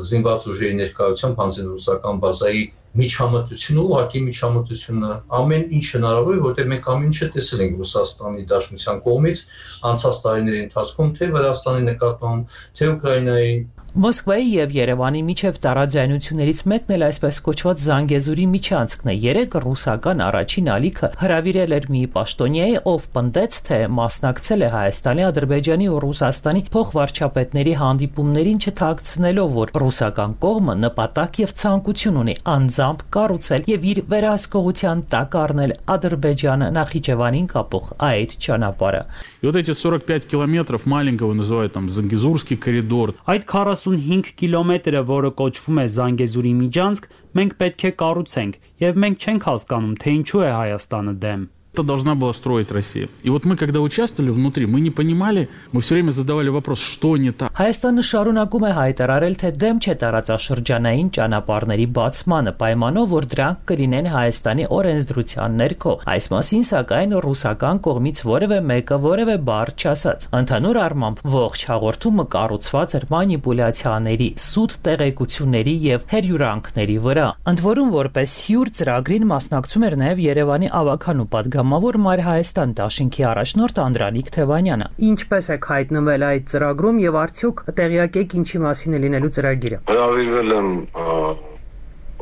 զինված ուժերի ներկայությամբ հանձին ռուսական բազայի միջամտությունը, ուղղակի միջամտությունը, ամեն ինչ հնարավոր է, որտեղ մենք ամեն ինչը տեսել ենք Ռուսաստանի Դաշնության կողմից անցած տարիների ընթացքում, թե Վրաստանի նկատմամբ, թե Ուկրաինայի։ Մոսկվայի եւ Երևանի միջև տարաձայնություններից մեկն էլ այսպես կոչված Զանգեզուրի միջանցքն է։ Երեք ռուսական առաջին ալիքը հրավիրել էր մի պաշտոնյայի, ով պնդեց, թե մասնակցել է Հայաստանի, Ադրբեջանի ու Ռուսաստանի փոխվարչապետների հանդիպումներին, չթաքցնելով, որ ռուսական կողմը նպատակ եւ ցանկություն ունի անձամբ կառուցել եւ իր վերահսկողության տակ առնել Ադրբեջանը Նախիջևանին կապող այդ ճանապարհը։ И вот эти сорок пять километров маленького называют там Зангезурский коридор. Այդ քառասունհինգ կիլոմետրը, որը կոչվում է Զանգեզուրի միջանցք, մենք պետք է կառուցենք, եւ մենք չենք հասկանում, թե ինչու է Հայաստանը դեմ։ Это должна была строить Россия. И вот мы, когда участвовали внутри, мы не понимали, мы все время задавали вопрос, что не так. Հայաստանը շարունակում է հայտարարել, թե դեմ չէ տարածաշրջանային ճանապարհների բացմանը, պայմանով, որ դրանք կլինեն Հայաստանի օրենսդրության ներքո։ Այս մասին, սակայն, ռուսական կողմից որևէ մեկը որևէ բառ չասաց։ Ընդհանուր առմամբ ողջ հաղորդումը կառուցված էր մանիպուլյացիաների, սուտ տեղեկությունների եւ հերյուրանքների վրա։ Ընդ որում, որպես հյուր ծրագրին մասնակցում էր նաեւ Երևանի ավականու падգամ Մավոր Մայր Հայաստան դաշինքի առաջնորդ Անդրանիկ Թևանյանը։ Ինչպես եք հայտնվել այդ ծրագրում եւ արդյոք տեղյակ եք ինչի մասին է լինելու ծրագիրը։ Հրավիրվել եմ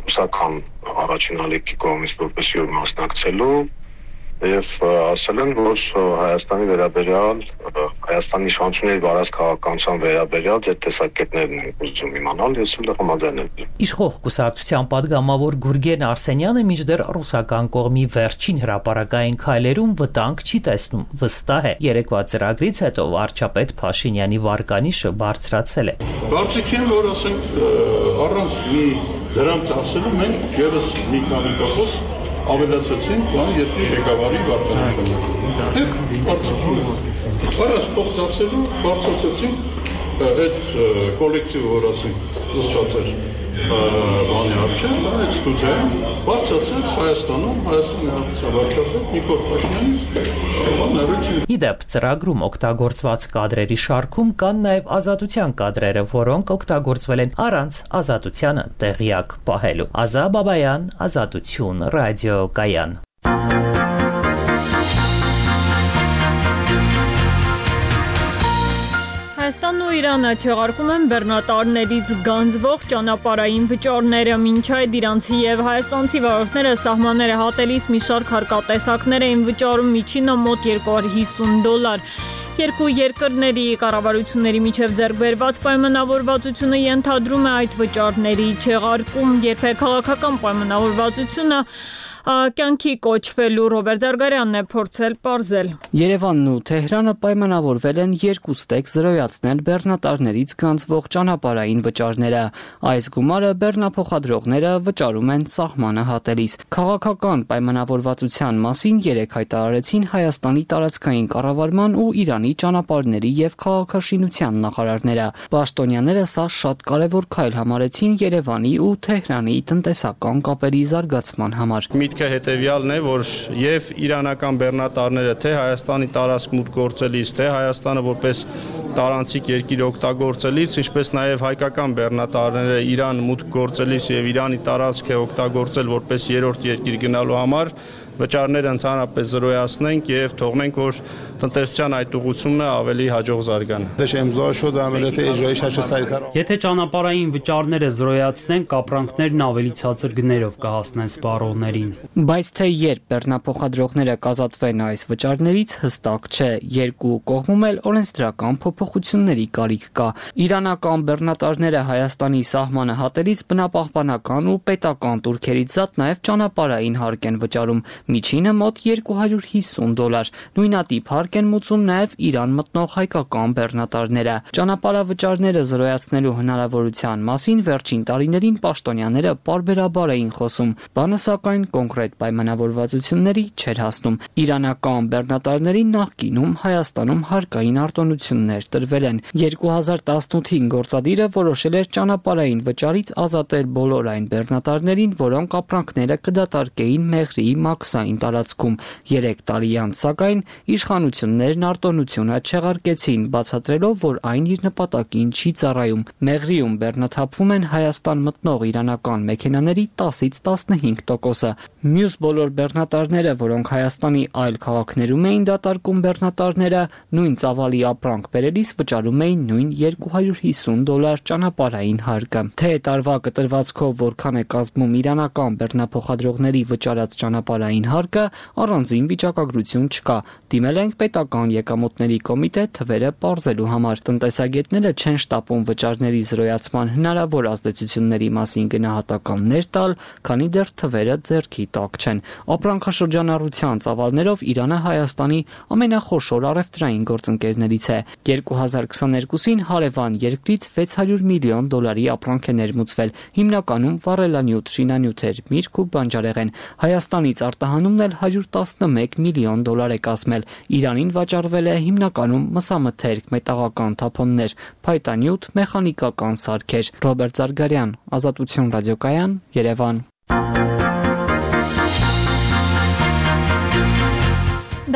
ռուսական առաջին ալիքի կողմից որպես հյուր մասնակցելու եւ ասել են, որ Հայաստանի վերաբերյալ Հայաստանի իշխանությունների վարած քաղաքականության վերաբերյալ ձեր տեսակետներն են ուզում իմանալ, ես էլ համաձայնել եմ։ Իշխող կուսակցության падգամավոր Գուրգեն Արսենյանը մինչդեռ ռուսական կողմի վերջին հրապարակային քայլերում վտանգ չի տեսնում, վստահ է։ Երեկվա ծրագրից հետո վարչապետ Փաշինյանի վարկանիշը բարձրացել է։ Կարծիքին, որ ասենք առանց մի դրանց ասելու մենք եւս մի քանի տոկոս ավելացեցինք բան երկրի ղեկավարի վարկանիշը։ Դե կարծիքին։ Առանց փոխ ծախսելու բարձրացեցինք այդ կոլեկտիվը, որ ասենք ստացել բանի արչև, այդ ստուդիայում բարձրացրեց Հայաստանում, Հայաստանի Հանրապետության վարչապետ Նիկոլ Փաշինյանի Իդեպ ծրագրում օգտագործված կադրերի շարքում կան նաև ազատության կադրերը, որոնք օգտագործվել են առանց ազատությանը տեղյակ պահելու։ Ազա Բաբայան, Ազատություն, ռադիոկայան։ Հայաստանն ու Իրանը չեղարկում են բեռնատարներից գանձվող ճանապարհային վճարները, մինչ այդ իրանցի եւ հայաստանցի վարորդները սահմանները հատելիս մի շարք հարկատեսակներ էին վճարում միջինը մոտ երկու հարյուր հիսուն դոլար։ Երկու երկրների կառավարությունների միջև ձեռք բերված պայմանավորվածությունը ենթադրում է այդ վճարների չեղարկում, երբ քաղաքական պայմանավորվածությունը կյանքի կոչվելու Ռոբերտ Զարգարյանն է փորձել պարզել։ Երևանն ու Թեհրանը պայմանավորվել են երկու ստեկ զրոյացնել բեռնատարներից գանձվող ճանապարհային վճարները։ Այս գումարը բեռնափոխադրողները վճարում են սահմանը հատելիս։ Քաղաքական պայմանավորվածության մասին երեկ հայտարարեցին Հայաստանի տարածքային կառավարման ու Իրանի ճանապարհների եւ քաղաքաշինության նախարարները։ Պաշտոնյաները սա շատ կարևոր քայլ համարեցին Երևանի ու Թեհրանի տնտեսական կապերի զարգացման համար։ Միտքը հետևյալն է, որ եւ իրանական բեռնատարները թե Հայաստանի տարածք մուտք գործելիս, թե Հայաստանը որպես տարանցիկ երկիր օգտագործելիս, ինչպես նաեւ հայկական բեռնատարները Իրան մուտք գործելիս եւ Իրանի տարածքը օգտագործել որպես երրորդ երկիր գնալու համար վճարները ընդհանրապես զրոյացնենք եւ թողնենք, որ տնտեսության այդ ուղղությունը ավելի հաջող զարգանա։ Եթե ճանապարհային վճարները զրոյացնենք, կապրանքներն ավելի ցածր գներով կհասնեն սպառողներին։ Բայց թե երբ բեռնափոխադրողները կազատվեն այս վճարներից, հստակ չէ։ Երկու կողմում էլ օրենսդրական փոփոխությունների կարիք կա։ Իրանական բեռնատարները Հայաստանի սահմանը հատելիս բնապահպանական ու պետական տուրքերից զատ նաեւ ճանապարհային հարկ են վճարում։ Միջինը մոտ երկու հարյուր հիսուն դոլար։ Նույնատիպ հարկ են մուծում նաև Իրան մտնող հայկական բեռնատարները։ Ճանապարհավճարները զրոյացնելու հնարավորության մասին վերջին տարիներին պաշտոնյաները պարբերաբար էին խոսում, բանը սակայն կոնկրետ պայմանավորվածությունների չէր հասնում։ Իրանական բեռնատարներին նախկինում Հայաստանում հարկային արտոնություններ տրվել են։ երկու հազար տասնութին գործադիրը որոշել էր ճանապարհային վճարից ազատել բոլոր այն բեռնատարներին, որոնք ապրանքները կդատարկեին Մեղրիի մաքսային տարածքում։ Երեք տարի անց սակայն իշխանություններն արտոնությունը չեղարկեցին, բացատրելով, որ այն իր նպատակին չի ծառայում։ Մեղրիում բեռնաթափվում են Հայաստան մտնող իրանական մեքենաների տասից տասնհինգ տոկոսը։ Մյուս բոլոր բեռնատարները, որոնք Հայաստանի այլ քաղաքներում էին դատարկում բեռնատարները, նույն ծավալի ապրանք բերելիս վճարում էին նույն երկու հարյուր հիսուն դոլար ճանապարհային հարկը։ Թե տարվա կտրվածքով որքան է կազմում իրանական բեռնափոխադրողների վճարած ճանապարհային հարկը, առանձին վիճակագրություն չկա։ Դիմել ենք պետական եկամուտների կոմիտե թվերը պարզելու համար։ Տնտեսագետները չեն շտապում վճարների զրոյացման հնարավոր ազդեցությունների մասին գնահատականներ տալ, քանի դեռ թվերը ձեռքի տակ չեն։ Ապրանքաշրջանառության ծավալներով Իրանը Հայաստանի ամենախոշոր առևտրային գործընկերներից է։ երկու հազար քսաներկուսին հարևան երկրից վեց հարյուր միլիոն դոլարի ապրանք է ներմուծվել, հիմնականում վառելանյութ, շինանյութեր, միրգ ու բանջարեղեն։ Հայաստանից արտահանումն էլ հարյուր տասնմեկ միլիոն դոլար է կազմել։ Իրանին վաճառվել է հիմնականում մսամթերք, մետաղական թափոններ, փայտանյութ, մեխանիկական սարքեր։ Ռոբերտ Զարգարյան, Ազատություն ռադիոկայան, Երևան։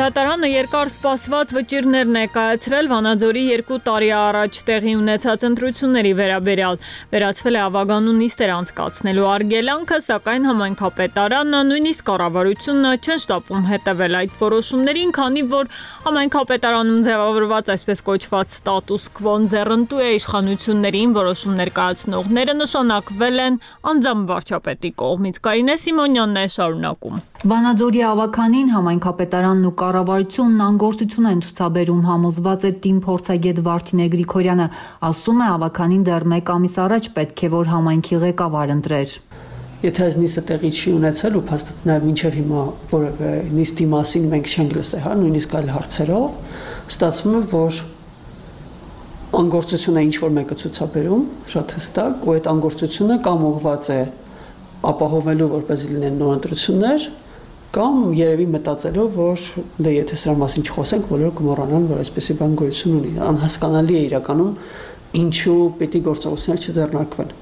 Դատարանը երկար սպասված վճիռներ ներկայացրել Վանաձորի երկու տարի առաջ տեղի ունեցած ընտրությունների վերաբերյալ։ Վերացվել է ավագանու նիստեր անցկացնելու արգելանքը, սակայն համայնքապետարանը, նույնիսկ կառավարությունը չեն շտապում հետևել այդ որոշումներին, քանի որ համայնքապետարանում ձևավորված այսպես կոչված ստատուս քվոն ձեռնտու է իշխանություններին, որոշումներ կայացնողները նշանակվել են անձամբ վարչապետի կողմից։ Կարինե Սիմոնյանն է շարունակում։ Վանաձորի ավականին համայնքապետարանն ու կառավարությունն անգործություն են ցուցաբերում, համոզված է թիմ փորձագետ Վարդինե Գրիգորյանը, ասում է ավականին դեռ մեկ ամիս առաջ պետք է որ համայնքի ղեկավար ընտրեր։ Եթե այս նիստը տեղի չի ունեցել ու փաստացի նաև մինչև հիմա որևէ նիստի մասին մենք չենք լսել, հա, նույնիսկ այլ հարցերով, ստացվում է, որ անգործությունը ինչ որ մեկը ցուցաբերում, շատ հստակ, ու այդ անգործությունը կամ ուղղված է ապահովելու, որպեսզի լինեն նոր ընտրություններ, կամ երևի մտածելով, որ դե եթե սրա մասին չխոսենք, բոլորը կմոռանան, որ այսպեսի բան գոյություն ունի։ Անհասկանալի է իրականում, ինչու պիտի գործողություններ չձեռնարկվեն։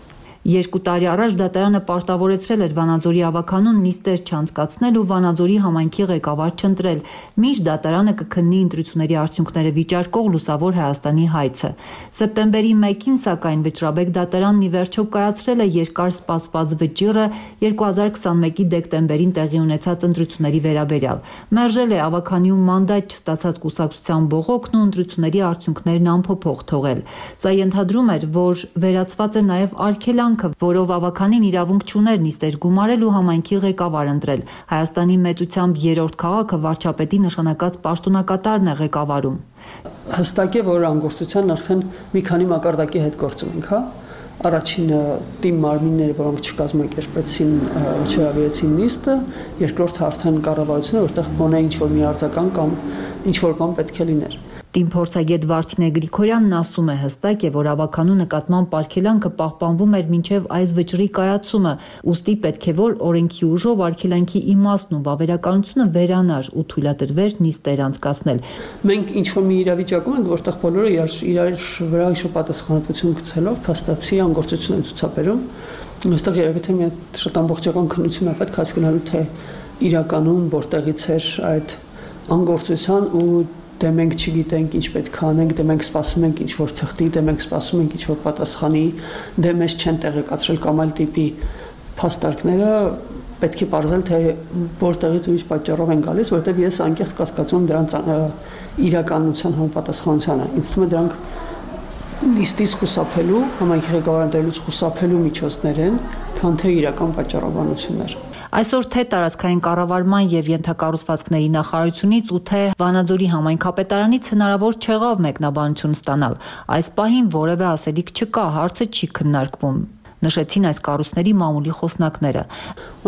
Երկու տարի առաջ դատարանը պարտավորեցրել էր Վանաձորի ավականուն նիստեր չանցկացնել ու Վանաձորի համայնքի ղեկավար չընտրել, մինչ դատարանը կքննի ընտրությունների արդյունքները վիճարկող Լուսավոր Հայաստանի հայցը։ Սեպտեմբերի մեկին, սակայն, Վճռաբեկ դատարանն ի վերջո կայացրել է երկար սպասված վճիռը երկու հազար քսանմեկի դեկտեմբերին տեղի ունեցած ընտրությունների վերաբերյալ։ Մերժել է ավականիում մանդատ չստացած կուսակցության բողոքն ու ընտրությունների արդյունքներն անփոփոխ թողել։ Սա ենթադրում էր, որ վերացված է նաև արգելանք, որով ավականին իրավունք չուներ նիստեր գումարել ու համայնքի ղեկավար ընտրել։ Հայաստանի մեծությամբ երրորդ քաղաքը վարչապետի նշանակած պաշտոնակատարն է ղեկավարում։ Հստակ է, որ անգործության արդեն մի քանի մակարդակի հետ գործ ունենք, հա։ Առաջինը թիմ մարմինները, որոնք չկազմակերպեցին, չհրավիրեցին նիստը, երկրորդը արդեն կառավարությունը, որտեղ գոնե ինչ-որ մի արձագանք կամ ինչ-որ բան պետք է լիներ։ Թիմ փորձագետ Վարդինե Գրիգորյանն ասում է, հստակ է, որ ավականու նկատմամբ արգելանքը պահպանվում էր մինչև այս վճռի կայացումը, ուստի պետք է որ օրենքի ուժով արգելանքի իմաստն ու վավերականությունը վերանար ու թույլատրվեր նիստեր անցկացնել։ Մենք ինչ-որ մի իրավիճակում ենք, որտեղ բոլորը իրար իրար վրա ինչ-որ պատասխանատվություն գցելով փաստացի անգործություն են ցուցաբերում։ Այստեղ երևի թե մի շատ ամբողջական քննություն է պետք հասկանալու, թե իրականում որտեղից էր այդ անգործության ու դե մենք չգիտենք ինչ պետք է անենք, դե մենք սպասում ենք ինչ որ թղթի, դե մենք սպասում ենք ինչ որ պատասխանի, դե մեզ չեն տեղեկացրել կամ այլ տիպի փաստարկները պետք է բարձել թե որտեղից ու ինչ պատճառով են գալիս, որովհետև ես անկեղծ կասկածում դրանց իրականության համապատասխանությանը։ Ինձ թվում է դրանք լիստից խուսափելու, համայնքի ղեկավարներից խուսափելու միջոցներ են, քան թե իրական պատճառաբանություններ։ Այսօր թե տարածքային կառավարման եւ ենթակառուցվածքների նախարարությունից ու թե Վանաձորի համայնքապետարանից հնարավոր չեղավ մեկնաբանություն ստանալ։ Այս պահին որևէ ասելիք չկա, հարցը չի քննարկվում, նշեցին այս կառույցների մամուլի խոսնակները։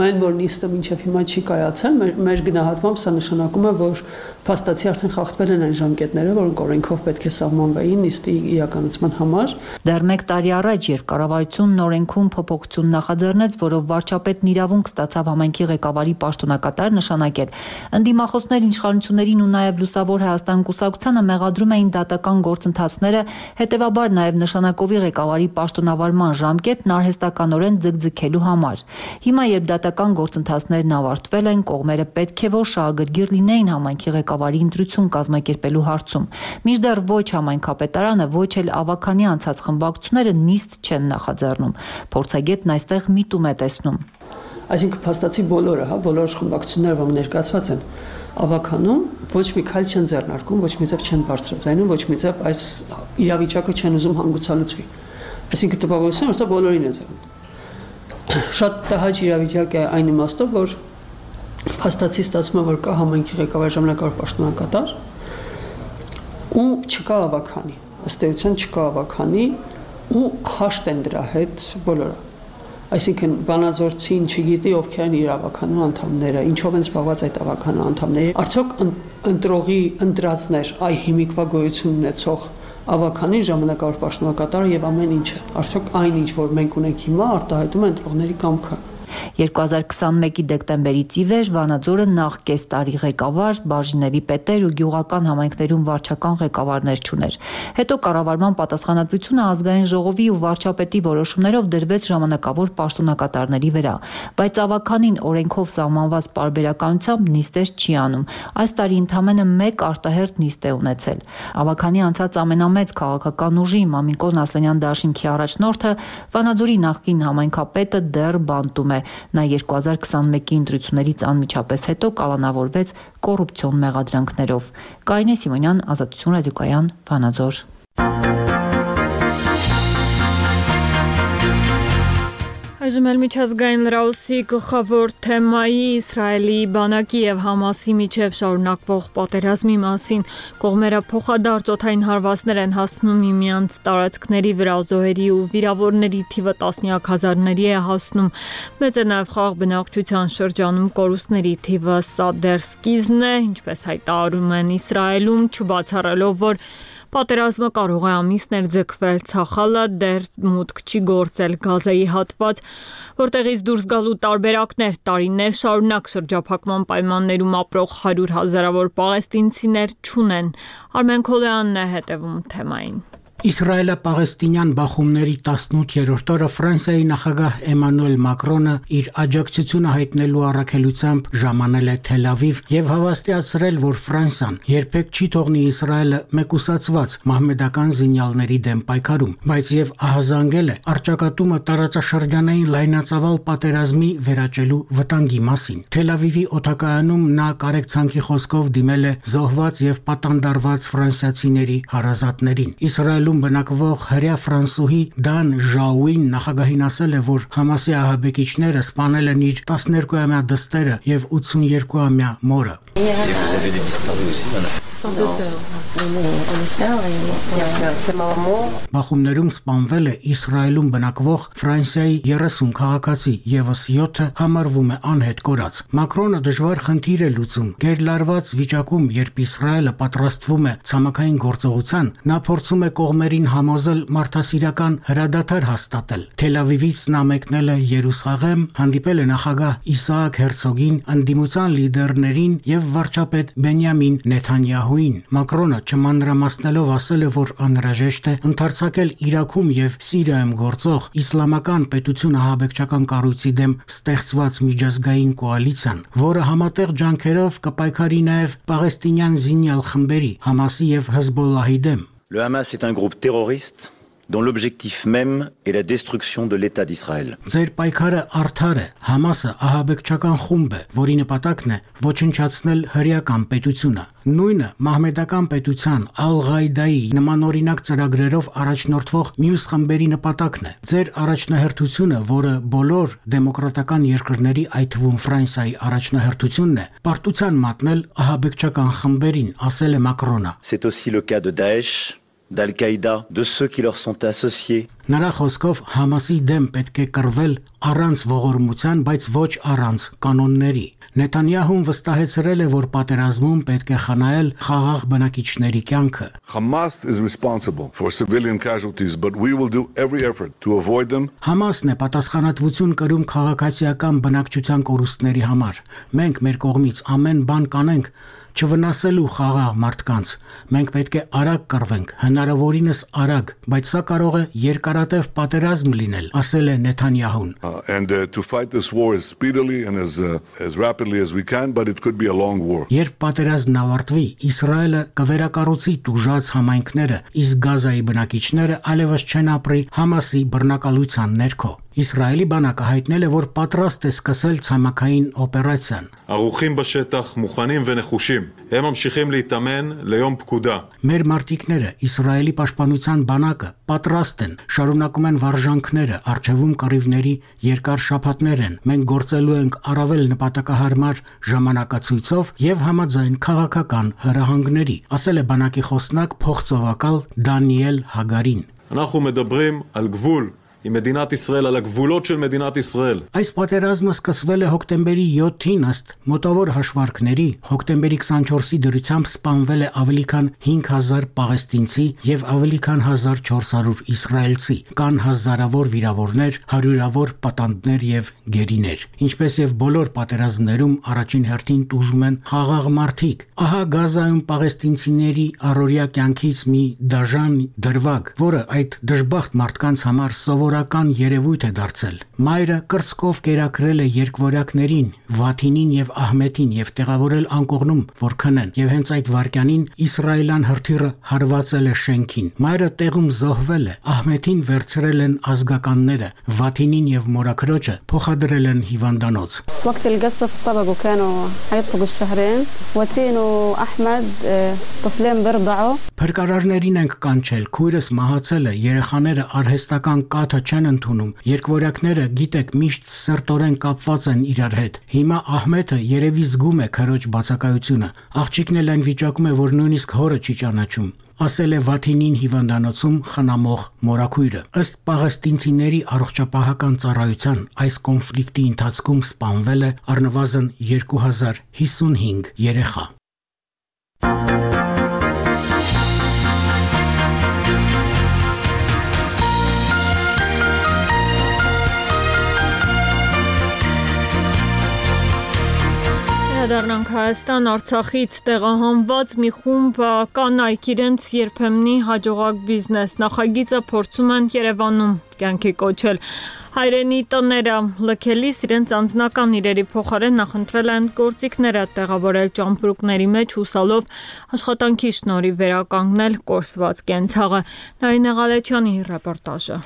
Այն որ նիստը մինչև հիմա չի կայացել, մեր, մեր գնահատմամբ սա նշանակում է, որ փաստացի արդեն խախտվել են այն ժամկետները, որոնք օրենքով պետք է սահմանվեին նիստի իրականացման համար։ Դեռ մեկ տարի առաջ, երբ կառավարությունն օրենքում փոփոխություն նախաձեռնեց, որով վարչապետն իրավունք ստացավ համայնքի ղեկավարի պաշտոնակատար նշանակել, ընդդիմախոսներ իշխանություններին ու նաև Լուսավոր Հայաստան կուսակցությանը մեղադրում էին դատական գործընթացները, հետևաբար նաև նշանակովի ղեկավարի պաշտոնավարման ժամկետն արհեստականորեն ձգձգելու համար։ Հիմա, երբ դատական գործընթացներն ավարտվել են, կողմերը պետք է որ շահագրգիռ լինեին համայնքի ղեկավարի ընտրություն կազմակերպելու հարցում։ Մինչդեռ ոչ համայնքապետարանը, ոչ էլ ավականի անցած խմբակցությունները նիստ չեն նախաձեռնում։ Փորձագետն այստեղ միտում է տեսնում։ Այսինքն փաստացի բոլորը, հա, բոլոր խմբակցությունները, որոնք ներկայացված են ավականում, ոչ մի քայլ չեն ձեռնարկում, ոչ մի ձև չեն բարձրացնում, ոչ մի ձև այս իրավիճակը չեն ուզում հանգուցալուծվի։ Այսինքն տպավորությունը սա բոլորին է ձեռնում։ Շատ տհաճ իրավիճակ է այն իմաստով, որ փաստացի ստացվում է, որ կա համայնքի ղեկավար ժամանակավոր պաշտոնակատար ու չկա ավականի, ըստ էության չկա ավականի ու հաշտ են դրա հետ բոլորը։ Այսինքն Վանաձորցին չգիտի ովքեր են իր ավականու անդամները, ինչով են զբաղված այդ ավականու անդամները։ Արդյոք ընտրողի ընտրածներ այ հիմիկվա գոյություն ունեցող ավականին ժամանակավոր պաշտոնակատարը եւ ամեն ինչը։ Արդյոք այն ինչ որ մենք ունենք հիմա արտահայտում է ընտրողների կամքը։ երկու հազար քսանմեկի դեկտեմբերից ի վեր Վանաձորը նախ կես տարի ղեկավար, բաժինների պետեր ու գյուղական համայնքներում վարչական ղեկավարներ չուներ։ Հետո կառավարման պատասխանատվությունը ազգային ժողովի ու վարչապետի որոշումներով դրվեց ժամանակավոր պաշտոնակատարների վրա, բայց ավականին օրենքով սահմանված պարբերականությամբ նիստեր չի անում։ Այս տարի ընդամենը մեկ արտահերթ նիստ է ունեցել։ Ավականի անցած ամենամեծ քաղաքական ուժի Մամիկոն Ասլանյան դաշինքի առաջնորդը Վանաձորի նախկին համայնքապետը դեռ բանտում է։ Նա երկու հազար քսանմեկի ընտրություններից անմիջապես հետո կալանավորվեց կոռուպցիոն մեղադրանքներով։ Կարինե Սիմոնյան, Ազատություն ռադիոկայան, Վանաձոր։ Այժմ էլ միջազգային լրահոսի գլխավոր թեմայի Իսրայելի բանակի եւ Համասի միջև շարունակվող պատերազմի մասին կողմերը փոխադարձ օդային հարվածներ են հասնում միմյանց տարածքների վրա, զոհերի ու վիրավորների թիվը տասնյակ հազարների է հասնում։ Մեծ է նաեւ խաղ բնակչության շրջանում կորուստների թիվը, սա դեռ սկիզբն է, ինչպես հայտարարում են Իսրայելում, չբացառելով, որ պատերազմը կարող է ամիսներ ձգվել, Ցախալը դեռ մուտք չի գործել Գազայի հատված, որտեղից դուրս գալու տարբերակներ, տարիներ շարունակ շրջափակման պայմաններում ապրող հարյուր հազարավոր պաղեստինցիներ չունեն։ Արմեն Քոլյանն է հետևում թեմային։ Իսրայելա-պաղեստինյան բախումների տասնութերորդ օրը Ֆրանսիայի նախագահ Էմանուել Մակրոնը իր աջակցությունը հայտնելու առաքելությամբ ժամանել է Թել Ավիվ եւ հավաստիացրել, որ Ֆրանսիան երբեք չի թողնի Իսրայելը մեկուսացված մահմեդական զինյալների դեմ պայքարում, բայց եւ ահազանգել է առճակատումը տարածաշրջանային լայնածավալ պատերազմի վերաճելու վտանգի մասին։ Թել Ավիվի օդակայանում նա կարեկցանքի խոսքով դիմել է զոհված եւ պատանդարված ֆրանսիացիների հարազատներին։ Իսրայելում բնակվող հրեա ֆրանսուհի Դան Ժաուին նախագահին ասել է, որ Համասի ահաբեկիչները սպանել են իր տասներկուամյա դստերը եւ ութսուներկուամյա մորը։ Բախումներում սպանվել է Իսրայելում բնակվող Ֆրանսիայի երեսուն քաղաքացի, եւս յոթը համարվում է անհետ կորած։ Մակրոնը դժվար խնդիր է լուծում։ Գերլարված վիճակում, երբ Իսրայելը պատրաստվում է ցամաքային գործողության, նա փորձում է կողմերին համոզել մարդասիրական հրադադար հաստատել։ Թել Ավիվից նա մեկնել է Երուսաղեմ, հանդիպել է նախագահ Իսահակ Հերցոգին, ընդդիմության լիդերներին եւ վարչապետ Բենյամին Նեթանյահուին։ Մակրոնը չմանրամասնելով ասել է, որ անհրաժեշտ է ընդարձակել Իրաքում եւ Սիրիայում գործող իսլամական պետություն ահաբեկչական կառույցի դեմ ստեղծված միջազգային կոալիցիան, որը համատեղ ջանքերով կպայքարի նաեւ պաղեստինյան զինյալ խմբերի Համասի եւ Հեզբոլլահի դեմ։ Le Hamas est un groupe terroriste dont l'objectif même est la destruction de l'État d'Israël. Ձեր պայքարը արդար է։ Համասը ահաբեկչական խումբ է, որի նպատակն է ոչնչացնել հրեական պետությունը։ Նույնը մահմեդական պետության Ալ-Ղաիդայի նմանօրինակ ծրագրերով առաջնորդվող մյուս խմբերի նպատակն է։ Ձեր առաջնահերթությունը, որը բոլոր դեմոկրատական երկրների, այդ թվում Ֆրանսիայի առաջնահերթությունն է, պարտության մատնել ահաբեկչական խմբերին, ասել է Մակրոնը։ C'est aussi le cas de Daesh, d'Al-Qaïda, de ceux qui leur sont associés. Նրա խոսքով Համասի դեմ պետք է կռվել առանց ողորմության, բայց ոչ առանց կանոնների։ Նեթանյահուն վստահեցրել է, որ պատերազմում պետք է խնայել խաղաղ բնակիչների կյանքը։ Hamas is responsible for civilian casualties, but we will do every effort to avoid them. Համասն է պատասխանատվություն կրում քաղաքացիական բնակչության կորուստների համար։ Մենք մեր կողմից ամեն բան կանենք չվնասելու խաղաղ մարդկանց։ Մենք պետք է արագ կռվենք, հնարավորինս արագ, բայց սա կարող է երկարատև պատերազմ լինել, ասել է Նեթանյահուն։ And uh, to fight this war as speedily and as uh, as rapidly as we can, but it could be a long war. Երբ պատերազմն ավարտվի, Իսրայելը կվերակառուցի տուժած համայնքները, իսկ Գազայի բնակիչները այլևս չեն ապրի Համասի բռնակալության ներքո։ Իսրայելի բանակը հայտնել է, որ պատրաստ է սկսել ցամաքային օպերացիան։ ערוכים בשטח, מוכנים ונחושים. הם ממשיכים להתאמן ליום פקודה. Մեր մարտիկները, Իսրայելի պաշտպանության բանակը պատրաստ են, շարունակում են վարժանքները, արժևում կռիվների երկար շաբաթներ են։ Մենք գործելու ենք առավել նպատակահարմար ժամանակացույցով եւ համաձայն քաղաքական հրահանգների, ասել է բանակի խոսնակ փոխծովակալ Դանիել Հագարին։ אנחנו מדברים על גבול עם מדינת ישראל, על הגבולות של מדינת ישראל. Այս պատերազմը սկսվել է հոկտեմբերի յոթին ըստ մոտավոր հաշվարկների։ Հոկտեմբերի քսանչորսի դրությամբ սպանվել է ավելի քան հինգ հազար պաղեստինցի եւ ավելի քան հազար չորս հարյուր իսրայելցի։ Կան հազարավոր վիրավորներ, հարյուրավոր պատանդներ եւ գերիներ։ Ինչպես եւ բոլոր պատերազմներում առաջին հերթին տուժում են խաղաղ մարդիկ։ Ահա Գազայում պաղեստինցիների առօրյա կյանքից մի դաժան դրվագ, որը այդ դժբախտ մարդկանց համար սովորական երևույթ է դարձել։ Մայրը կրծքով կերակրել է երկվորյակներին, Վաթինին եւ Ահմեդին եւ տեղավորել անկողնում, որ քնեն, եւ հենց այդ վարքյանին իսրայելյան հրթիռը հարվածել է շենքին։ Մայրը տեղում զոհվել է, Ահմեդին վերցրել են ազգականները, Վաթինին եւ մորաքրոջը փոխադրել են հիվանդանոց։ وقت القصف طبقوا كانوا حيطبقوا الشهرين وتين وأحمد طفلين بيرضعوا Փրկարարներին ենք կանչել, քույրս մահացել է, երեխաները արհեստական կաթը չեն ընդունում, երկվորյակները գիտեք միշտ սրտորեն կապված են իրար հետ։ Հիմա Ահմեդը երևի զգում է քրոջ բացակայությունը։ Աղջիկն էլ այն վիճակում է, որ նույնիսկ հորը չի ճանաչում, ասել է Վաթինին հիվանդանոցում խնամող մորաքույրը։ Ըստ պաղեստինցիների առողջապահական ծառայության, այս կոնֆլիկտի ընթացքում սպանվել է առնվազն երկու հազար հիսունհինգ երեխա։ Անդրադառնանք Հայաստան, Արցախից տեղահանված մի խումբ կանայք իրենց երբեմնի հաջողակ բիզնես նախագիծը փորձում են Երևանում կյանքի կոչել։ Հայրենի տները լքելիս իրենց անձնական իրերի փոխարեն նախընտրել են գործիքները տեղավորել ճամպրուկների մեջ հուսալով աշխատանքի շնորհիվ վերականգնել կորսված կենցաղը։ Նարինե Ղալեչյանի ռեպորտաժը։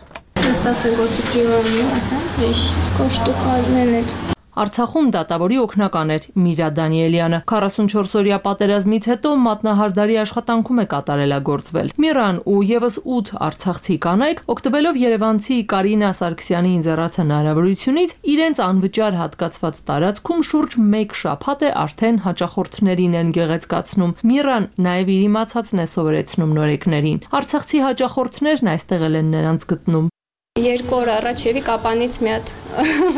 Սպասեն գործիքի որոնի ասեմ, հեշ կոշտուկարներ են։ Արցախում դատավորի օգնական էր Միրա Դանիելյանը։ քառասունչորս-օրյա պատերազմից հետո մատնահարդարի աշխատանքում է կատարելագործվել։ Միրան ու եւս ութ արցախցի կանայք, օգտվելով երևանցի Կարինա Սարգսյանի ինձեռած հնարավորությունից, իրենց անվճար հատկացված տարածքում շուրջ մեկ շաբաթ է արդեն հաճախորդներին են գեղեցկացնում։ Միրան նաեւ իր իմացածն է սովորեցնում նորեկներին։ Արցախցի հաճախորդներն այստեղ են նրանց գտնում։ Երկու օր առաջ եւի կապանից մի հատ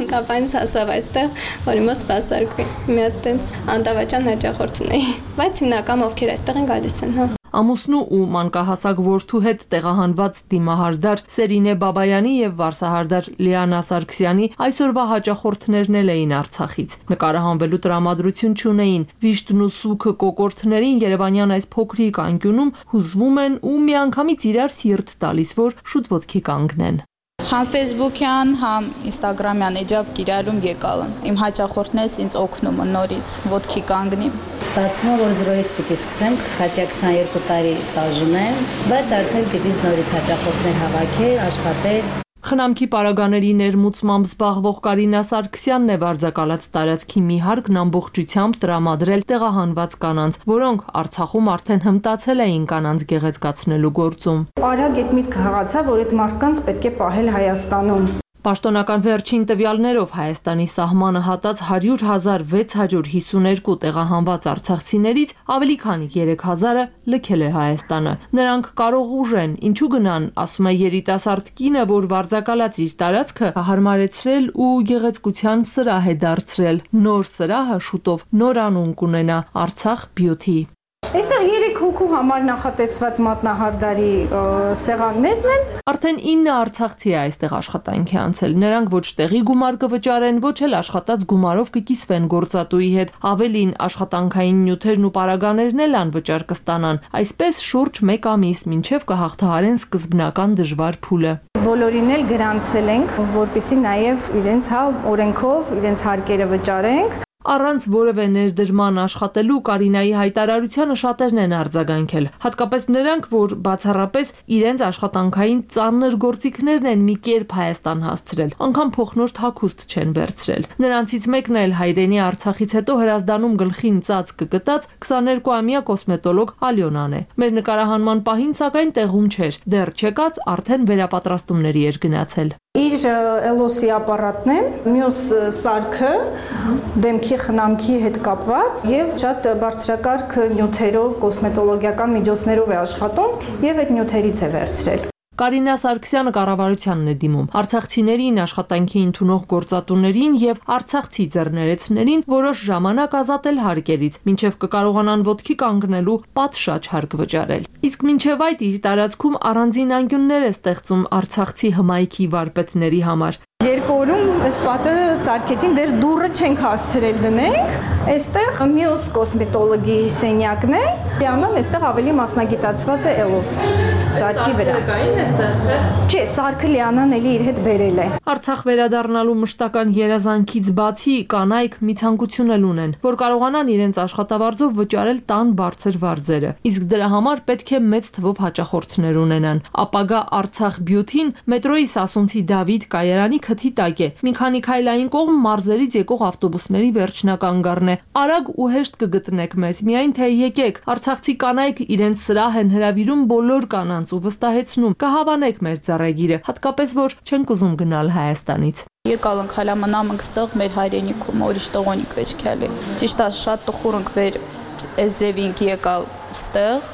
կապանից հասավ այստեղ, որի մոտ սպասարկվի։ Մի հատ տենց անդավաճան հաճախորդ ունեի, բայց հիմնական ովքեր այստեղ են գալիս են, հա։ Ամուսնու ու մանկահասակ որդու հետ տեղահանված դիմահարդար Սերինե Բաբայանի եւ վարսահարդար Լիանա Սարգսյանի այսօրվա հաճախորդներն էին Արցախից։ Նկարահանվելու տրամադրություն չունեին։ Վիշտն ու սուքը կոկորդներին Երևանյան այս փոքրիկ անկյունում հուզվում են ու միանգամից իրար սիրտ տալիս, որ շուտ ոտքի կանգնեն։ Համ Facebook-յան, համ Instagram-յան էջավ գիրալում եկալն։ Իմ հաճախորդներս ինձ օգնում են նորից ոտքի կանգնի։ Ստացվում է, որ զրոյից պիտի սկսենք, խատյա քսաներկու տարի ստաժն եմ, բայց արդեն պիտի նորից հաճախորդներ հավաքել, աշխատել։ Խնամքի պարագաների ներմուծմամբ զբաղվող Կարինա Սարգսյանն է վարձակալած տարածքի մի հարկն ամբողջությամբ տրամադրել տեղահանված կանանց, որոնք Արցախում արդեն հմտացել էին կանանց գեղեցկացնելու գործում։ Արագ այդ միտքը հղացա, որ այդ մարդկանց պետք է պահել Հայաստանում։ Պաշտոնական վերջին տվյալներով Հայաստանի սահմանը հատած հարյուր հազար վեց հարյուր հիսուներկու տեղահանված արցախցիներից ավելի քան երեք հազարը լքել է Հայաստանը։ Նրանք կարող ուժեն, ինչու գնան, ասում է երիտասարդ կինը, որ վարձակալած իր տարածքը հարմարեցրել ու գեղեցկության սրահ է դարձրել։ Նոր սրահը շուտով նոր անուն կունենա Արցախ Beauty։ Այստեղ երեք հոգու համար նախատեսված մատնահարդարի սեղաններն են։ Արդեն ինը արցախցի է այստեղ աշխատանքի անցել։ Նրանք ոչ տեղի գումար կվճարեն, ոչ էլ աշխատած գումարով կկիսվեն գործատուի հետ։ Ավելին աշխատանքային նյութերն ու պարագաներն էլ անվճար կստանան։ Այսպես շուրջ մեկ ամիս մինչև կհաղթահարեն սկզբնական դժվար փուլը։ Բոլորին էլ գրանցել ենք, որպեսզի նաև իրենց հա օրենքով իրենց հարկերը վճարենք։ Առանց որևէ ներդրման աշխատելու Կարինայի հայտարարությանը շատերն են արձագանքել, հատկապես նրանք, որ բացառապես իրենց աշխատանքային ծանր գործիքներն են մի կերպ Հայաստան հասցրել, անգամ փոխնորդ հագուստ չեն վերցրել։ Նրանցից մեկն էլ հայրենի Արցախից հետո հրազդանում գլխին ծած կգտած քսաներկուամյա կոսմետոլոգ Ալյոնան է։ Մեր նկարահանման պահին սակայն տեղում չէր, դեռ չեկած արդեն վերապատրաստումների էր գնացել։ Իր էլոսի ապարատն է, մյուս սարքը դեմքի խնամքի հետ կապված եւ շատ բարձրակարգ նյութերով, կոսմետոլոգիական միջոցներով է աշխատում եւ այդ նյութերից է վերցրել։ Կարինա Սարգսյանը կառավարությանն է դիմում արցախցիներին, աշխատանքի ընդունող գործատուներին եւ արցախցի ձեռներեցներին որոշ ժամանակ ազատել հարկերից, մինչեւ կկարողանան ոտքի կանգնելու պատշաճ հարկ վճարել։ Իսկ մինչեւ այդ իր տարածքում առանձին անկյուններ է ստեղծում արցախցի հմայքի վարպետների համար։ Երկու օրում այս պատը սարքեցին, դեռ դուռը չենք հասցրել դնենք։ Այստեղ մյուս կոսմետոլոգի սենյակն է։ Լիանան այստեղ ավելի մասնագիտացված է էլոս սարքի վրա։ Չէ, սարքը Լիանան էլի իր հետ բերել է։ Արցախ վերադառնալու մշտական երազանքից բացի կանայք մի ցանկություն էլ ունեն, որ կարողանան իրենց աշխատավարձով վճարել տան բարձր վարձերը։ Իսկ դրա համար պետք է մեծ թվով հաճախորդներ ունենան։ Ապագա Արցախ Beauty-ն մետրոյի Սասունցի Դավիթ կայարանի քթի տակ է։ Մի քանի քայլային կողմ մարզերից եկող ավտոբուսների վերջնական գառն է։ Արագ ու հեշտ կգտնեք մեզ, միայն թե եկեք։ Արցախցի կանայք իրենց սրահ են հրավիրում բոլոր կանանց ու վստահեցնում կհավանեք մեր ծառագիրը, հատկապես որ չենք ուզում գնալ Հայաստանից։ Եկալ ենք հալամանամ ընկստող մեր հայրենիքում, որիշ տողոնիկ վեճքալի։ Ճիշտ է, շատ տխուր ենք վեր այս ձևինք եկալ ստեղ,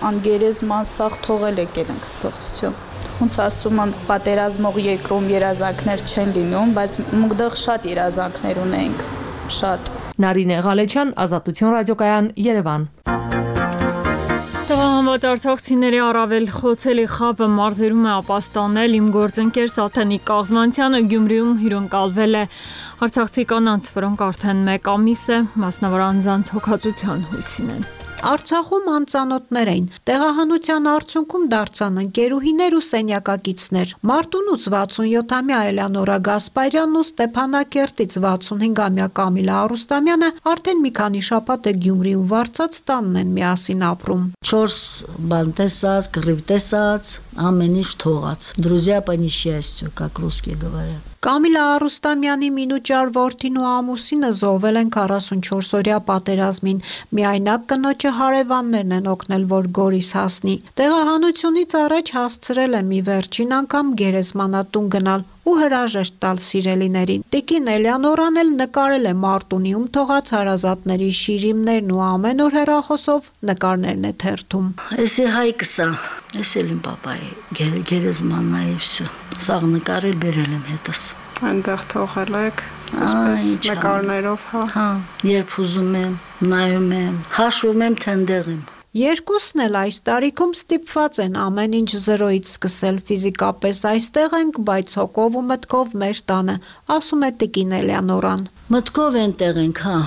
անգերեզման սաղ թողել եկել ենք ստող, վсё։ Ոնց ասում են, պատերազմող երկրում երազանքներ չեն լինում, բայց մուկդեղ շատ երազանքներ ունենք, շատ։ Նարինե Ղալեչյան, Ազատություն ռադիոկայան, Երևան։ Տեղահանված Զոհված արցախցիների առավել խոցելի խաբը մարզերում է ապաստանել իմ գործընկեր Սաթենիկ Կաղզմանցյանը Գյումրիում հյուրընկալվել է արցախցի կանանց, որոնք արդեն մեկ ամիս է մասնավոր անձանց հոգացության հույսին են։ Արցախում անծանոթներ էին, տեղահանության արդյունքում դարձան ընկերուհիներ ու սենյակակիցներ։ Մարտունուց վաթսունյոթամյա Էլեոնորա Գասպարյանն ու Ստեփանակերտից վաթսունհինգամյա Կամիլա Արուստամյանը արդեն մի քանի շաբաթ է Գյումրիում վարձած տանն են միասին ապրում։ Չորս բան տեսած, կռիվ տեսած, ամեն ինչ թողած։ Друзья по несчастью, как русские говорят։ Կամիլա Արուստամյանի մինուճար որդին ու ամուսինը զոհվել են քառասունչորսօրյա պատերազմին։ Միայնակ կնոջը հարևաններն են օգնել, որ Գորիս հասնի։ Տեղահանությունից առաջ հասցրել է մի վերջին անգամ գերեզմանատուն գնալ ու հրաժեշտ տալ սիրելիներին։ Տիկին Էլեոնորան էլ նկարել է Մարտունիում թողած հարազատների շիրիմներն ու ամեն օր հեռախոսով նկարներն է թերթում։ Էսի հայկսա, էս էլ իմ պապայի գերեզմանն է всё։ Սաղ նկարել բերել եմ հետս։ Այնտեղ թողել եք նկարներով, հա։ Հա, երբ ուզում եմ, նայում եմ, հաշվում եմ, թե այնտեղ եմ։ Երկուսն էլ այս տարիքում ստիպված են ամեն ինչ զրոյից սկսել, ֆիզիկապես այստեղ ենք, բայց հոգով ու մտքով մեր տանը, ասում է տիկին Էլեոնորան։ Մտքով այնտեղ ենք, հա,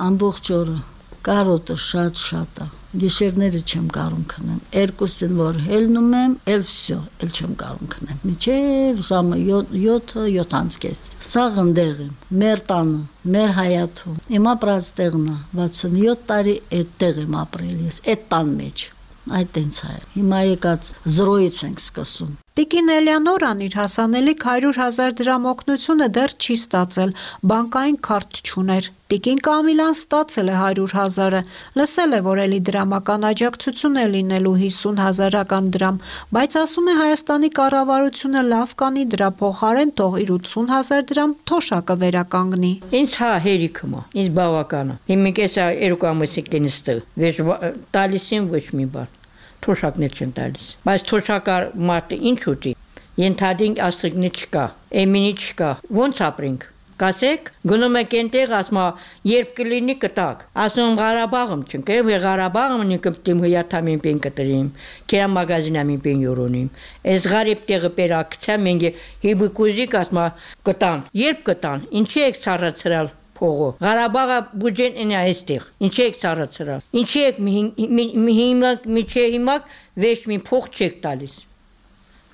ամբողջ օրը, կարոտը շատ-շատ է, գիշերները չեմ կարում քնեմ, երկուսին որ հելնում եմ, էլ всё, էլ չեմ կարում քնեմ, մինչև ժամը յոթը, յոթ կես, սաղ ընդեղ եմ, մեր տանը, մեր հայաթում, իմ ապրած տեղն է, վաթսունյոթ տարի այդտեղ եմ ապրել ես, այդ տան մեջ, այդ տենց է, հիմա եկած զրոյից ենք սկսում։ Տիկին Էլեոնորան իր հասանելիք հարյուր հազար դրամ օգնությունը դեռ չի ստացել, բանկային քարտ չուներ։ Տիկին Կամիլան ստացել է հարյուր հազարը, լսել է, որ էլի դրամական աջակցություն է լինելու հիսուն հազարական դրամ, բայց ասում է Հայաստանի կառավարությունը լավ կանի դրա փոխարեն թող իր ութսուն հազար դրամ թոշակը վերականգնի։ Ինձ հա հերիքում է, ինձ բավական է։ Հիմա կեսա երկու ամսիկ դենստը, վեճ տալիս եմ ոչ մի բան։ Թոշակներ չեն տալիս։ Բայց թոշակար մարդը ինչ ուտի։ Ենթադինք ասիկնի չկա, էմինի չկա։ Ոնց ապրենք։ Կասեք, գնում եք այնտեղ, ասում երբ կլինի կտակ։ Ասում Ղարաբաղում չնկե, վեր Ղարաբաղում նկտիմ հյաթամին պեն կտրիմ, կերա մագազինամին պեն յորոնիմ։ Այս Ղարիբ տեղը պերակցա մենգե հիբկուզիկ ասում կտան։ Երբ կտան, ինչի եք ցարացրալ փողը։ Ղարաբաղը բուջեն ինա այստեղ։ Ինչի եք ցարացրալ։ Ինչի եք հիմա միջե հիմա վեճ մի փող չեք տալիս։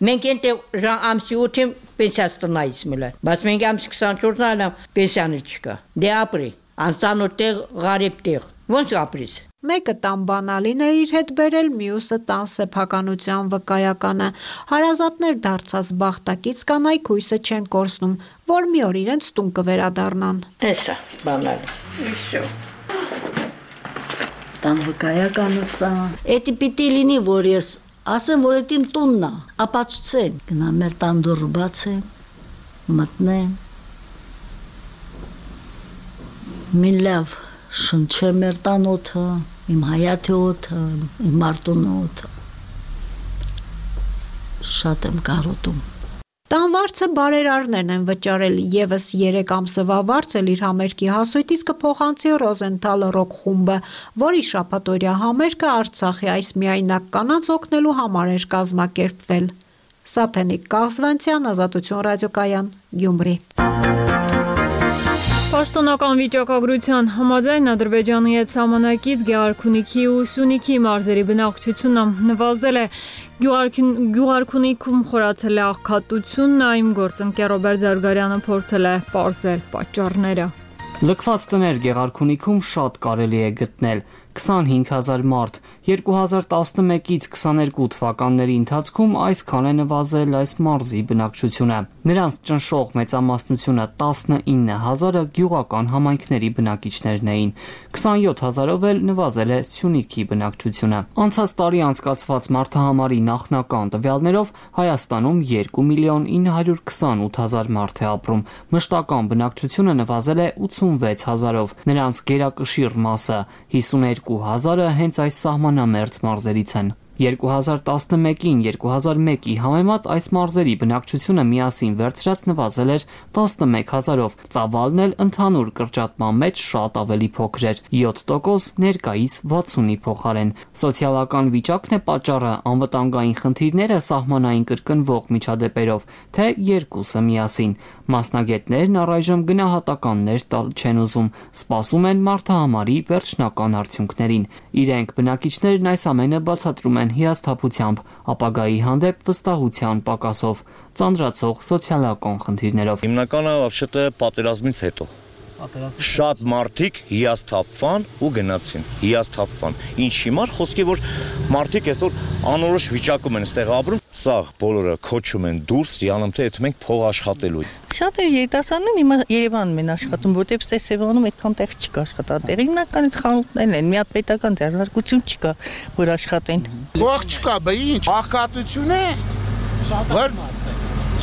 Մենք այնտեղ ամսի ութին պենսիա ստանայից մելա։ Բայց մենք ամսի քսանչորսն այլամ պենսիան չկա։ Դե ապրի, անծանոթ տեղ, Ղարիբ տեղ։ Ոնց ապրիս։ Մեկը տան բանալին է իր հետ բերել, մյուսը տան սեփականության վկայականը։ Հարազատներ դարձած բախտակից կանայք հույսը չեն կորցնում, որ մի օր իրենց տուն կվերադառնան։ Էսա բանալիս։ Իշո։ Տան վկայականը սա։ Էդի պիտի լինի, որ ես ասեմ, որ էդ իմ տունն է, ապացուցեն։ Գնա մեր տան դուռը բացեմ, մտնեմ։ Մի լավ շնչեմ մեր տան օդը, իմ հայաթի օդը, իմ Մարտունի օդը։ Շատ եմ կարոտում։ Տան վարձը բարերարներն են վճարել, եւս երեք ամսվա վարձել իր համերգի հասույթից կփոխանցի Ռոզենթալ ռոք խումբը, որի շաբաթօրյա համերգը Արցախի այս միայնակ կանանց օգնելու համար էր կազմակերպվել։ Սաթենիկ Կաղզվանցյան, Ազատություն ռադիոկայան, Գյումրի։ Պաշտոնական վիճակագրության համաձայն Ադրբեջանի հետ սահմանակից Գեղարքունիքի ու Սյունիքի մարզերի բնակչությունը նվազել է, Գյուղարքունիքում խորացել է աղքատությունն, այմ գործընկեր Ռոբերտ Զարգարյանը փորձել է պարզել պատճառները։ Լքված տներ Գեղարքունիքում շատ կարելի է գտնել, քսանհինգ հազար մարդ, երկու հազար տասնմեկից քսաներկու թվականների ընթացքում այսքան է նվազել այս մարզի բնակչությունը։ Նրանց ճնշող մեծամասնությունը տասնինը հազարը գյուղական համայնքների բնակիչներն էին, քսանյոթ հազարով էլ նվազել է Սյունիքի բնակչությունը։ Անցած տարի անցկացված մարդահամարի նախնական տվյալներով Հայաստանում երկու միլիոն ինը հարյուր քսանութ հազար մարդ է ապրում, մշտական բնակչությունը նվազել է ութսունվեց հազարով, նրանց գերակշիռ մասը հիսուներկու հազարը հենց այս սահմանամերձ մարզերից են։ երկու հազար տասնմեկին երկու հազար մեկի համեմատ այս մարզերի բնակչությունը միասին վերցրած նվազել էր տասնմեկ հազարով, ծավալն էլ ընդհանուր կրճատման մեջ շատ ավելի փոքր էր՝ յոթ տոկոս ներկայիս վաթսունի փոխարեն։ Սոցիալական վիճակն է պատճառը, անվտանգային խնդիրները, սահմանային կրկնվող միջադեպերով, թե երկուսը միասին։ Մասնագետներն առայժմ գնահատականներ տալ չեն ուզում, սպասում են մարդահամարի վերջնական արդյունքներին։ Իրենք բնակիչներն այս ամենը բացատրում են հիասթափությամբ, ապագայի հանդեպ վստահության պակասով, ծանրացող սոցիալական խնդիրներով։ Հիմնականը вообще-то պատերազմից հետո շատ մարդիկ հիասթափվան ու գնացին, հիասթափվան։ Ինչ հիմար խոսքի, որ մարդիկ այսօր անորոշ վիճակում են այստեղ ապրում, սաղ բոլորը քոչում են դուրս, յանում թե եթե մենք փող աշխատելու։ Շատ է երիտասարդներն հիմա Երևանում են աշխատում, որտեղ Սևանում այդքան տեղ չկա աշխատատեղ։ Հիմնական այդ խանութներն են, մի հատ պետական ձեռնարկություն չկա, որ աշխատեն։ Փող չկա, բա ինչ, աղքատություն է։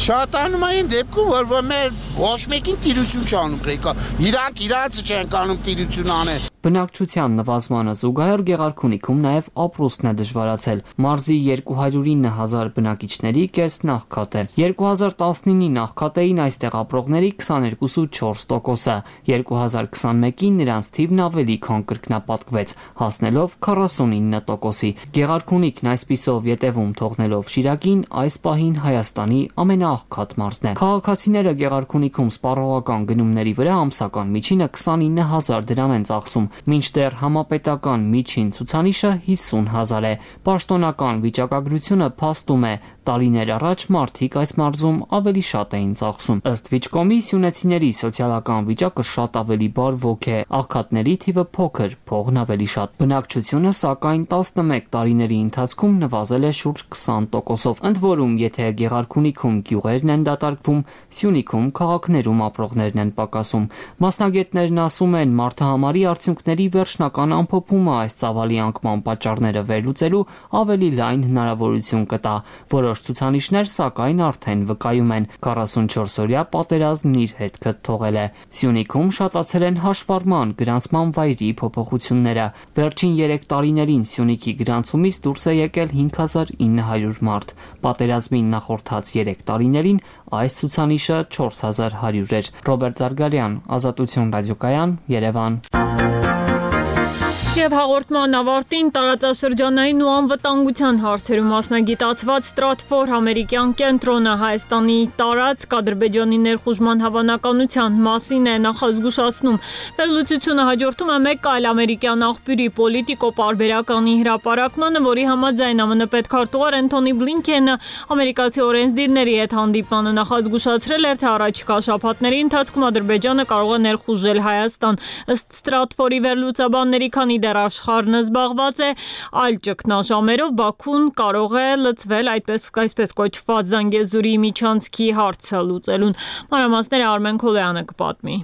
Շատանում այն դեպքում, որ մեր ոչ մեկին տիրություն չանում ղեկա, իրանք իրանցը չեն կանում տիրություն անել։ Բնակչության նվազմանը զուգահեռ Գեղարքունիքում նաև ապրուստն է դժվարացել։ Մարզի երկու հարյուր ինը հազար բնակիչների կեսն աղքատ է։ երկու հազար տասնինի աղքատեին այստեղ ապրողների քսաներկու փոխ չորս տոկոսը, երկու հազար քսանմեկին նրանց թիվն ավելի քան կրկնապատկվեց, հասնելով քառասունինը տոկոսի։ Գեղարքունիքն այսպիսով ետևում թողնելով Շիրակին այս պահին Հայաստանի ամենաաղքատ մարզն է։ Քաղաքացիները Գեղարքունիքում սպառողական գնումների վրա ամսական միջինը քսանինը հազար դրամ են ծախսում, մինչդեռ համապետական միջին ցուցանիշը հիսուն հազար է։ Պաշտոնական վիճակագրությունը փաստում է, տարիներ առաջ մարդիկ այս մարզում ավելի շատ էին ծախսում։ Ըստ Վիճկոմի, սյունեցիների սոցիալական վիճակը շատ ավելի բարվոք է, աղքատների թիվը փոքր, փողն ավելի շատ։ Բնակչությունը սակայն տասնմեկ տարիների ընթացքում նվազել է շուրջ քսան տոկոսով։ Ընդ որում, եթե Գեղարքունիքում գյուղերն են դատարկվում, Սյունիքում քաղաքներում ապրողներն են պակասում։ Մասնագետներն ասում են, մարդահամարի արդյունքների վերջնական ամփոփումը այս ծավալի անկման պատճառները վերլուծելու ավելի լայն հնարավորություն կտա։ Որոշ ցուցանիշներ սակայն արդեն վկայում են, քառասունչորսօրյա պատերազմն իր հետքը թողել է։ Սյունիքում շատացել են հաշվառման գրանցման վայրի փոփոխությունները։ Վերջին երեք տարիներին Սյունիքի գրանցումից դուրս է եկել հինգ հազար ինը հարյուր մարդ։ Պատերազմին նախորդած երեք տարիներին այս ցուցանիշը չորս հազար հարյուր էր։ Ռոբերտ Զարգարյան, Ազատություն ռադիոկայան, Երևան։ Եվ հաղորդման ավարտին տարածաշրջանային ու անվտանգության հարցերում մասնագիտացված Stratfor ամերիկյան կենտրոնը Հայաստանի տարածք Ադրբեջանի ներխուժման հավանականության մասին է նախազգուշացնում։ Վերլուծությունը հաջորդում է մեկ այլ ամերիկյան աղբյուրի Politico պարբերականի հրապարակմանը, որի համաձայն ԱՄՆ պետքարտուղար Էնթոնի Բլինքենը ամերիկացի օրենսդիրների հետ հանդիպմանը նախազգուշացրել էր, թե առաջիկա շաբաթների ընթացքում Ադրբեջանը կարող է ներխուժել Հայաստան։ Ըստ Stratfor-ի վերլուծաբանների, քանի դեռ աշխարհն զբաղված է այլ ճգնաժամերով, Բաքուն կարող է լծվել այդպես այսպես կոչված Զանգեզուրի միջանցքի հարցը լուծելուն։ Մանրամասները Արմեն Քոլոյանը կպատմի։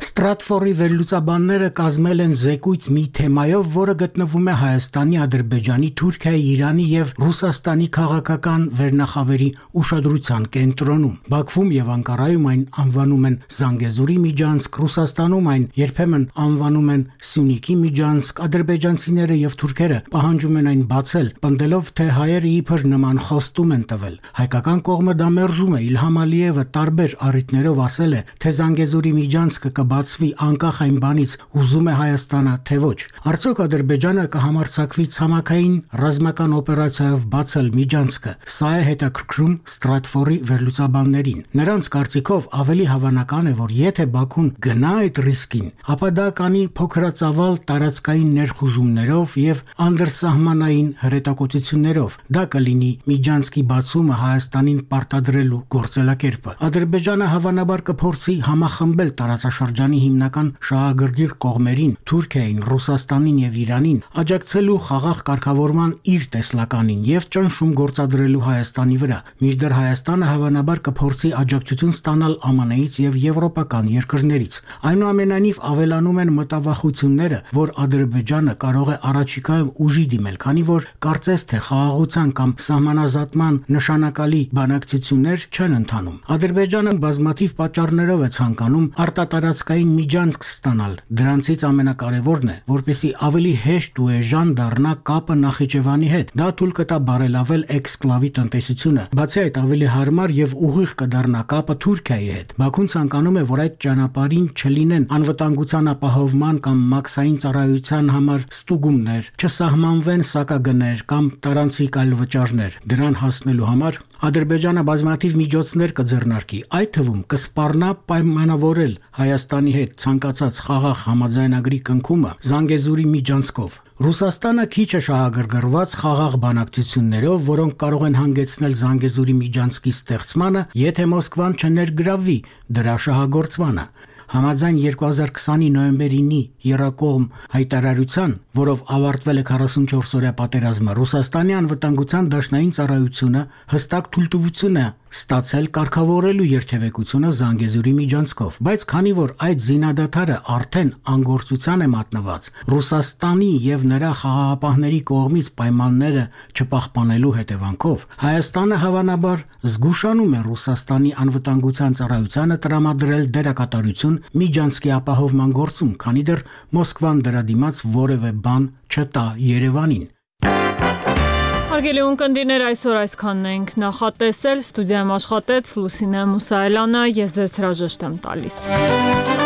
Stratfor-ի վերլուծաբանները կազմել են զեկույց մի թեմայով, որը գտնվում է Հայաստանի, Ադրբեջանի, Թուրքիայի, Իրանի եւ Ռուսաստանի քաղաքական վերնախավերի ուշադրության կենտրոնում։ Բաքվում եւ Անկարայում այն անվանում են Զանգեզուրի միջանցք, Ռուսաստանում այն երբեմն անվանում են Սյունիքի միջանցք, ադրբեջանցիները եւ թուրքերը պահանջում են այն բացել, պնդելով, թե հայերը իբր նման խոստում են տվել։ Հայկական կողմը դա մերժում է։ Իլհամ Ալիևը տարբեր առիթներով ասել է, թե Զանգեզուրի միջանցքը կբացվի անկախ այն բանից ուզում է Հայաստանը, թե ոչ։ Արդյոք Ադրբեջանը կհամարձակվի ցամաքային ռազմական օպերացիայով բացել միջանցքը։ Սա է հետաքրքրում Stratfor-ի վերլուծաբաններին։ Նրանց կարծիքով ավելի հավանական է, որ եթե Բաքուն գնա այդ ռիսկին, ապա դա կանի փոքրածավալ տարածքային ներխուժումներով եւ անդրսահմանային հրետակոծություններով։ Դա կլինի միջանցքի բացումը Հայաստանին պարտադրելու գործելակերպը։ Ադրբեջանը հավանաբար կփորձի համախմբել տարածաշրջանի հիմնական շահագրգիռ կողմերին՝ Թուրքիային, Ռուսաստանին եւ Իրանին, աջակցելու խաղաղ կարգավորման իր տեսլականին եւ ճնշում գործադրելու Հայաստանի վրա։ Մինչդեռ Հայաստանը հավանաբար կփորձի աջակցություն ստանալ ԱՄՆ-ից եւ եվրոպական երկրներից։ Այնուամենայնիվ ավելանում են մտավախությունները, որ Ադրբեջանը Ադրբեջանը կարող է առաջիկայում ուժի դիմել, քանի որ կարծես թե խաղաղության կամ սահմանազատման նշանակալի բանակցություններ չեն ընթանում։ Ադրբեջանը բազմաթիվ պատճառներով է ցանկանում արտատարածքային միջանցք ստանալ։ Դրանցից ամենակարևորն է, որպեսզի ավելի հեշտ ու էժան դառնա կապը Նախիջևանի հետ։ Դա թույլ կտա բարելավել էքսկլավի տնտեսությունը։ Բացի այդ, ավելի հարմար եւ ուղիղ կդառնա կապը Թուրքիայի հետ։ Բաքուն ցանկանում է, որ այդ ճանապարհին չլինեն անվտանգության ապահովման կամ մաքսային ծառայության համար ստուգումներ, չսահմանվեն սակագներ կամ տարանցիկ այլ վճարներ։ Դրան հասնելու համար Ադրբեջանը բազմաթիվ միջոցներ կձեռնարկի, այդ թվում կսպառնա պայմանավորել Հայաստանի հետ ցանկացած խաղաղ համաձայնագրի կնքումը Զանգեզուրի միջանցքով։ Ռուսաստանը քիչ է շահագրգռված խաղաղ բանակցություններով, որոնք կարող են հանգեցնել Զանգեզուրի միջանցքի ստեղծմանը, եթե Մոսկվան չներգրավվի դրա շահագործմանը։ Համաձայն երկու հազար քսանի նոյեմբերի ինը եռակողմ հայտարարության, որով ավարտվել է քառասունչորս օրյա պատերազմը, Ռուսաստանի անվտանգության դաշնային ծառայությունը հստակ թույլտվություն է ստացել կարգավորելու երթևեկությունը Զանգեզուրի միջանցքով, բայց քանի որ այդ զինադադարը արդեն անգործության է մատնված, Ռուսաստանի եւ նրա խաղաղապահների կողմից պայմանները չպահպանելու հետևանքով, Հայաստանը հավանաբար զգուշանում է Ռուսաստանի անվտանգության ծառայությանը տրամադրել դերակատարություն միջանցքի ապահովման գործում, քանի դեռ Մոսկվան դրա դիմաց որևէ բան չտա Երևանին։ Հարգելի ունկնդիրներ, այսօր այսքանն ենք նախատեսել, ստուդիայում աշխատեց Լուսինե Մուսայելյանը, ես ձեզ հրաժեշտ եմ տալիս։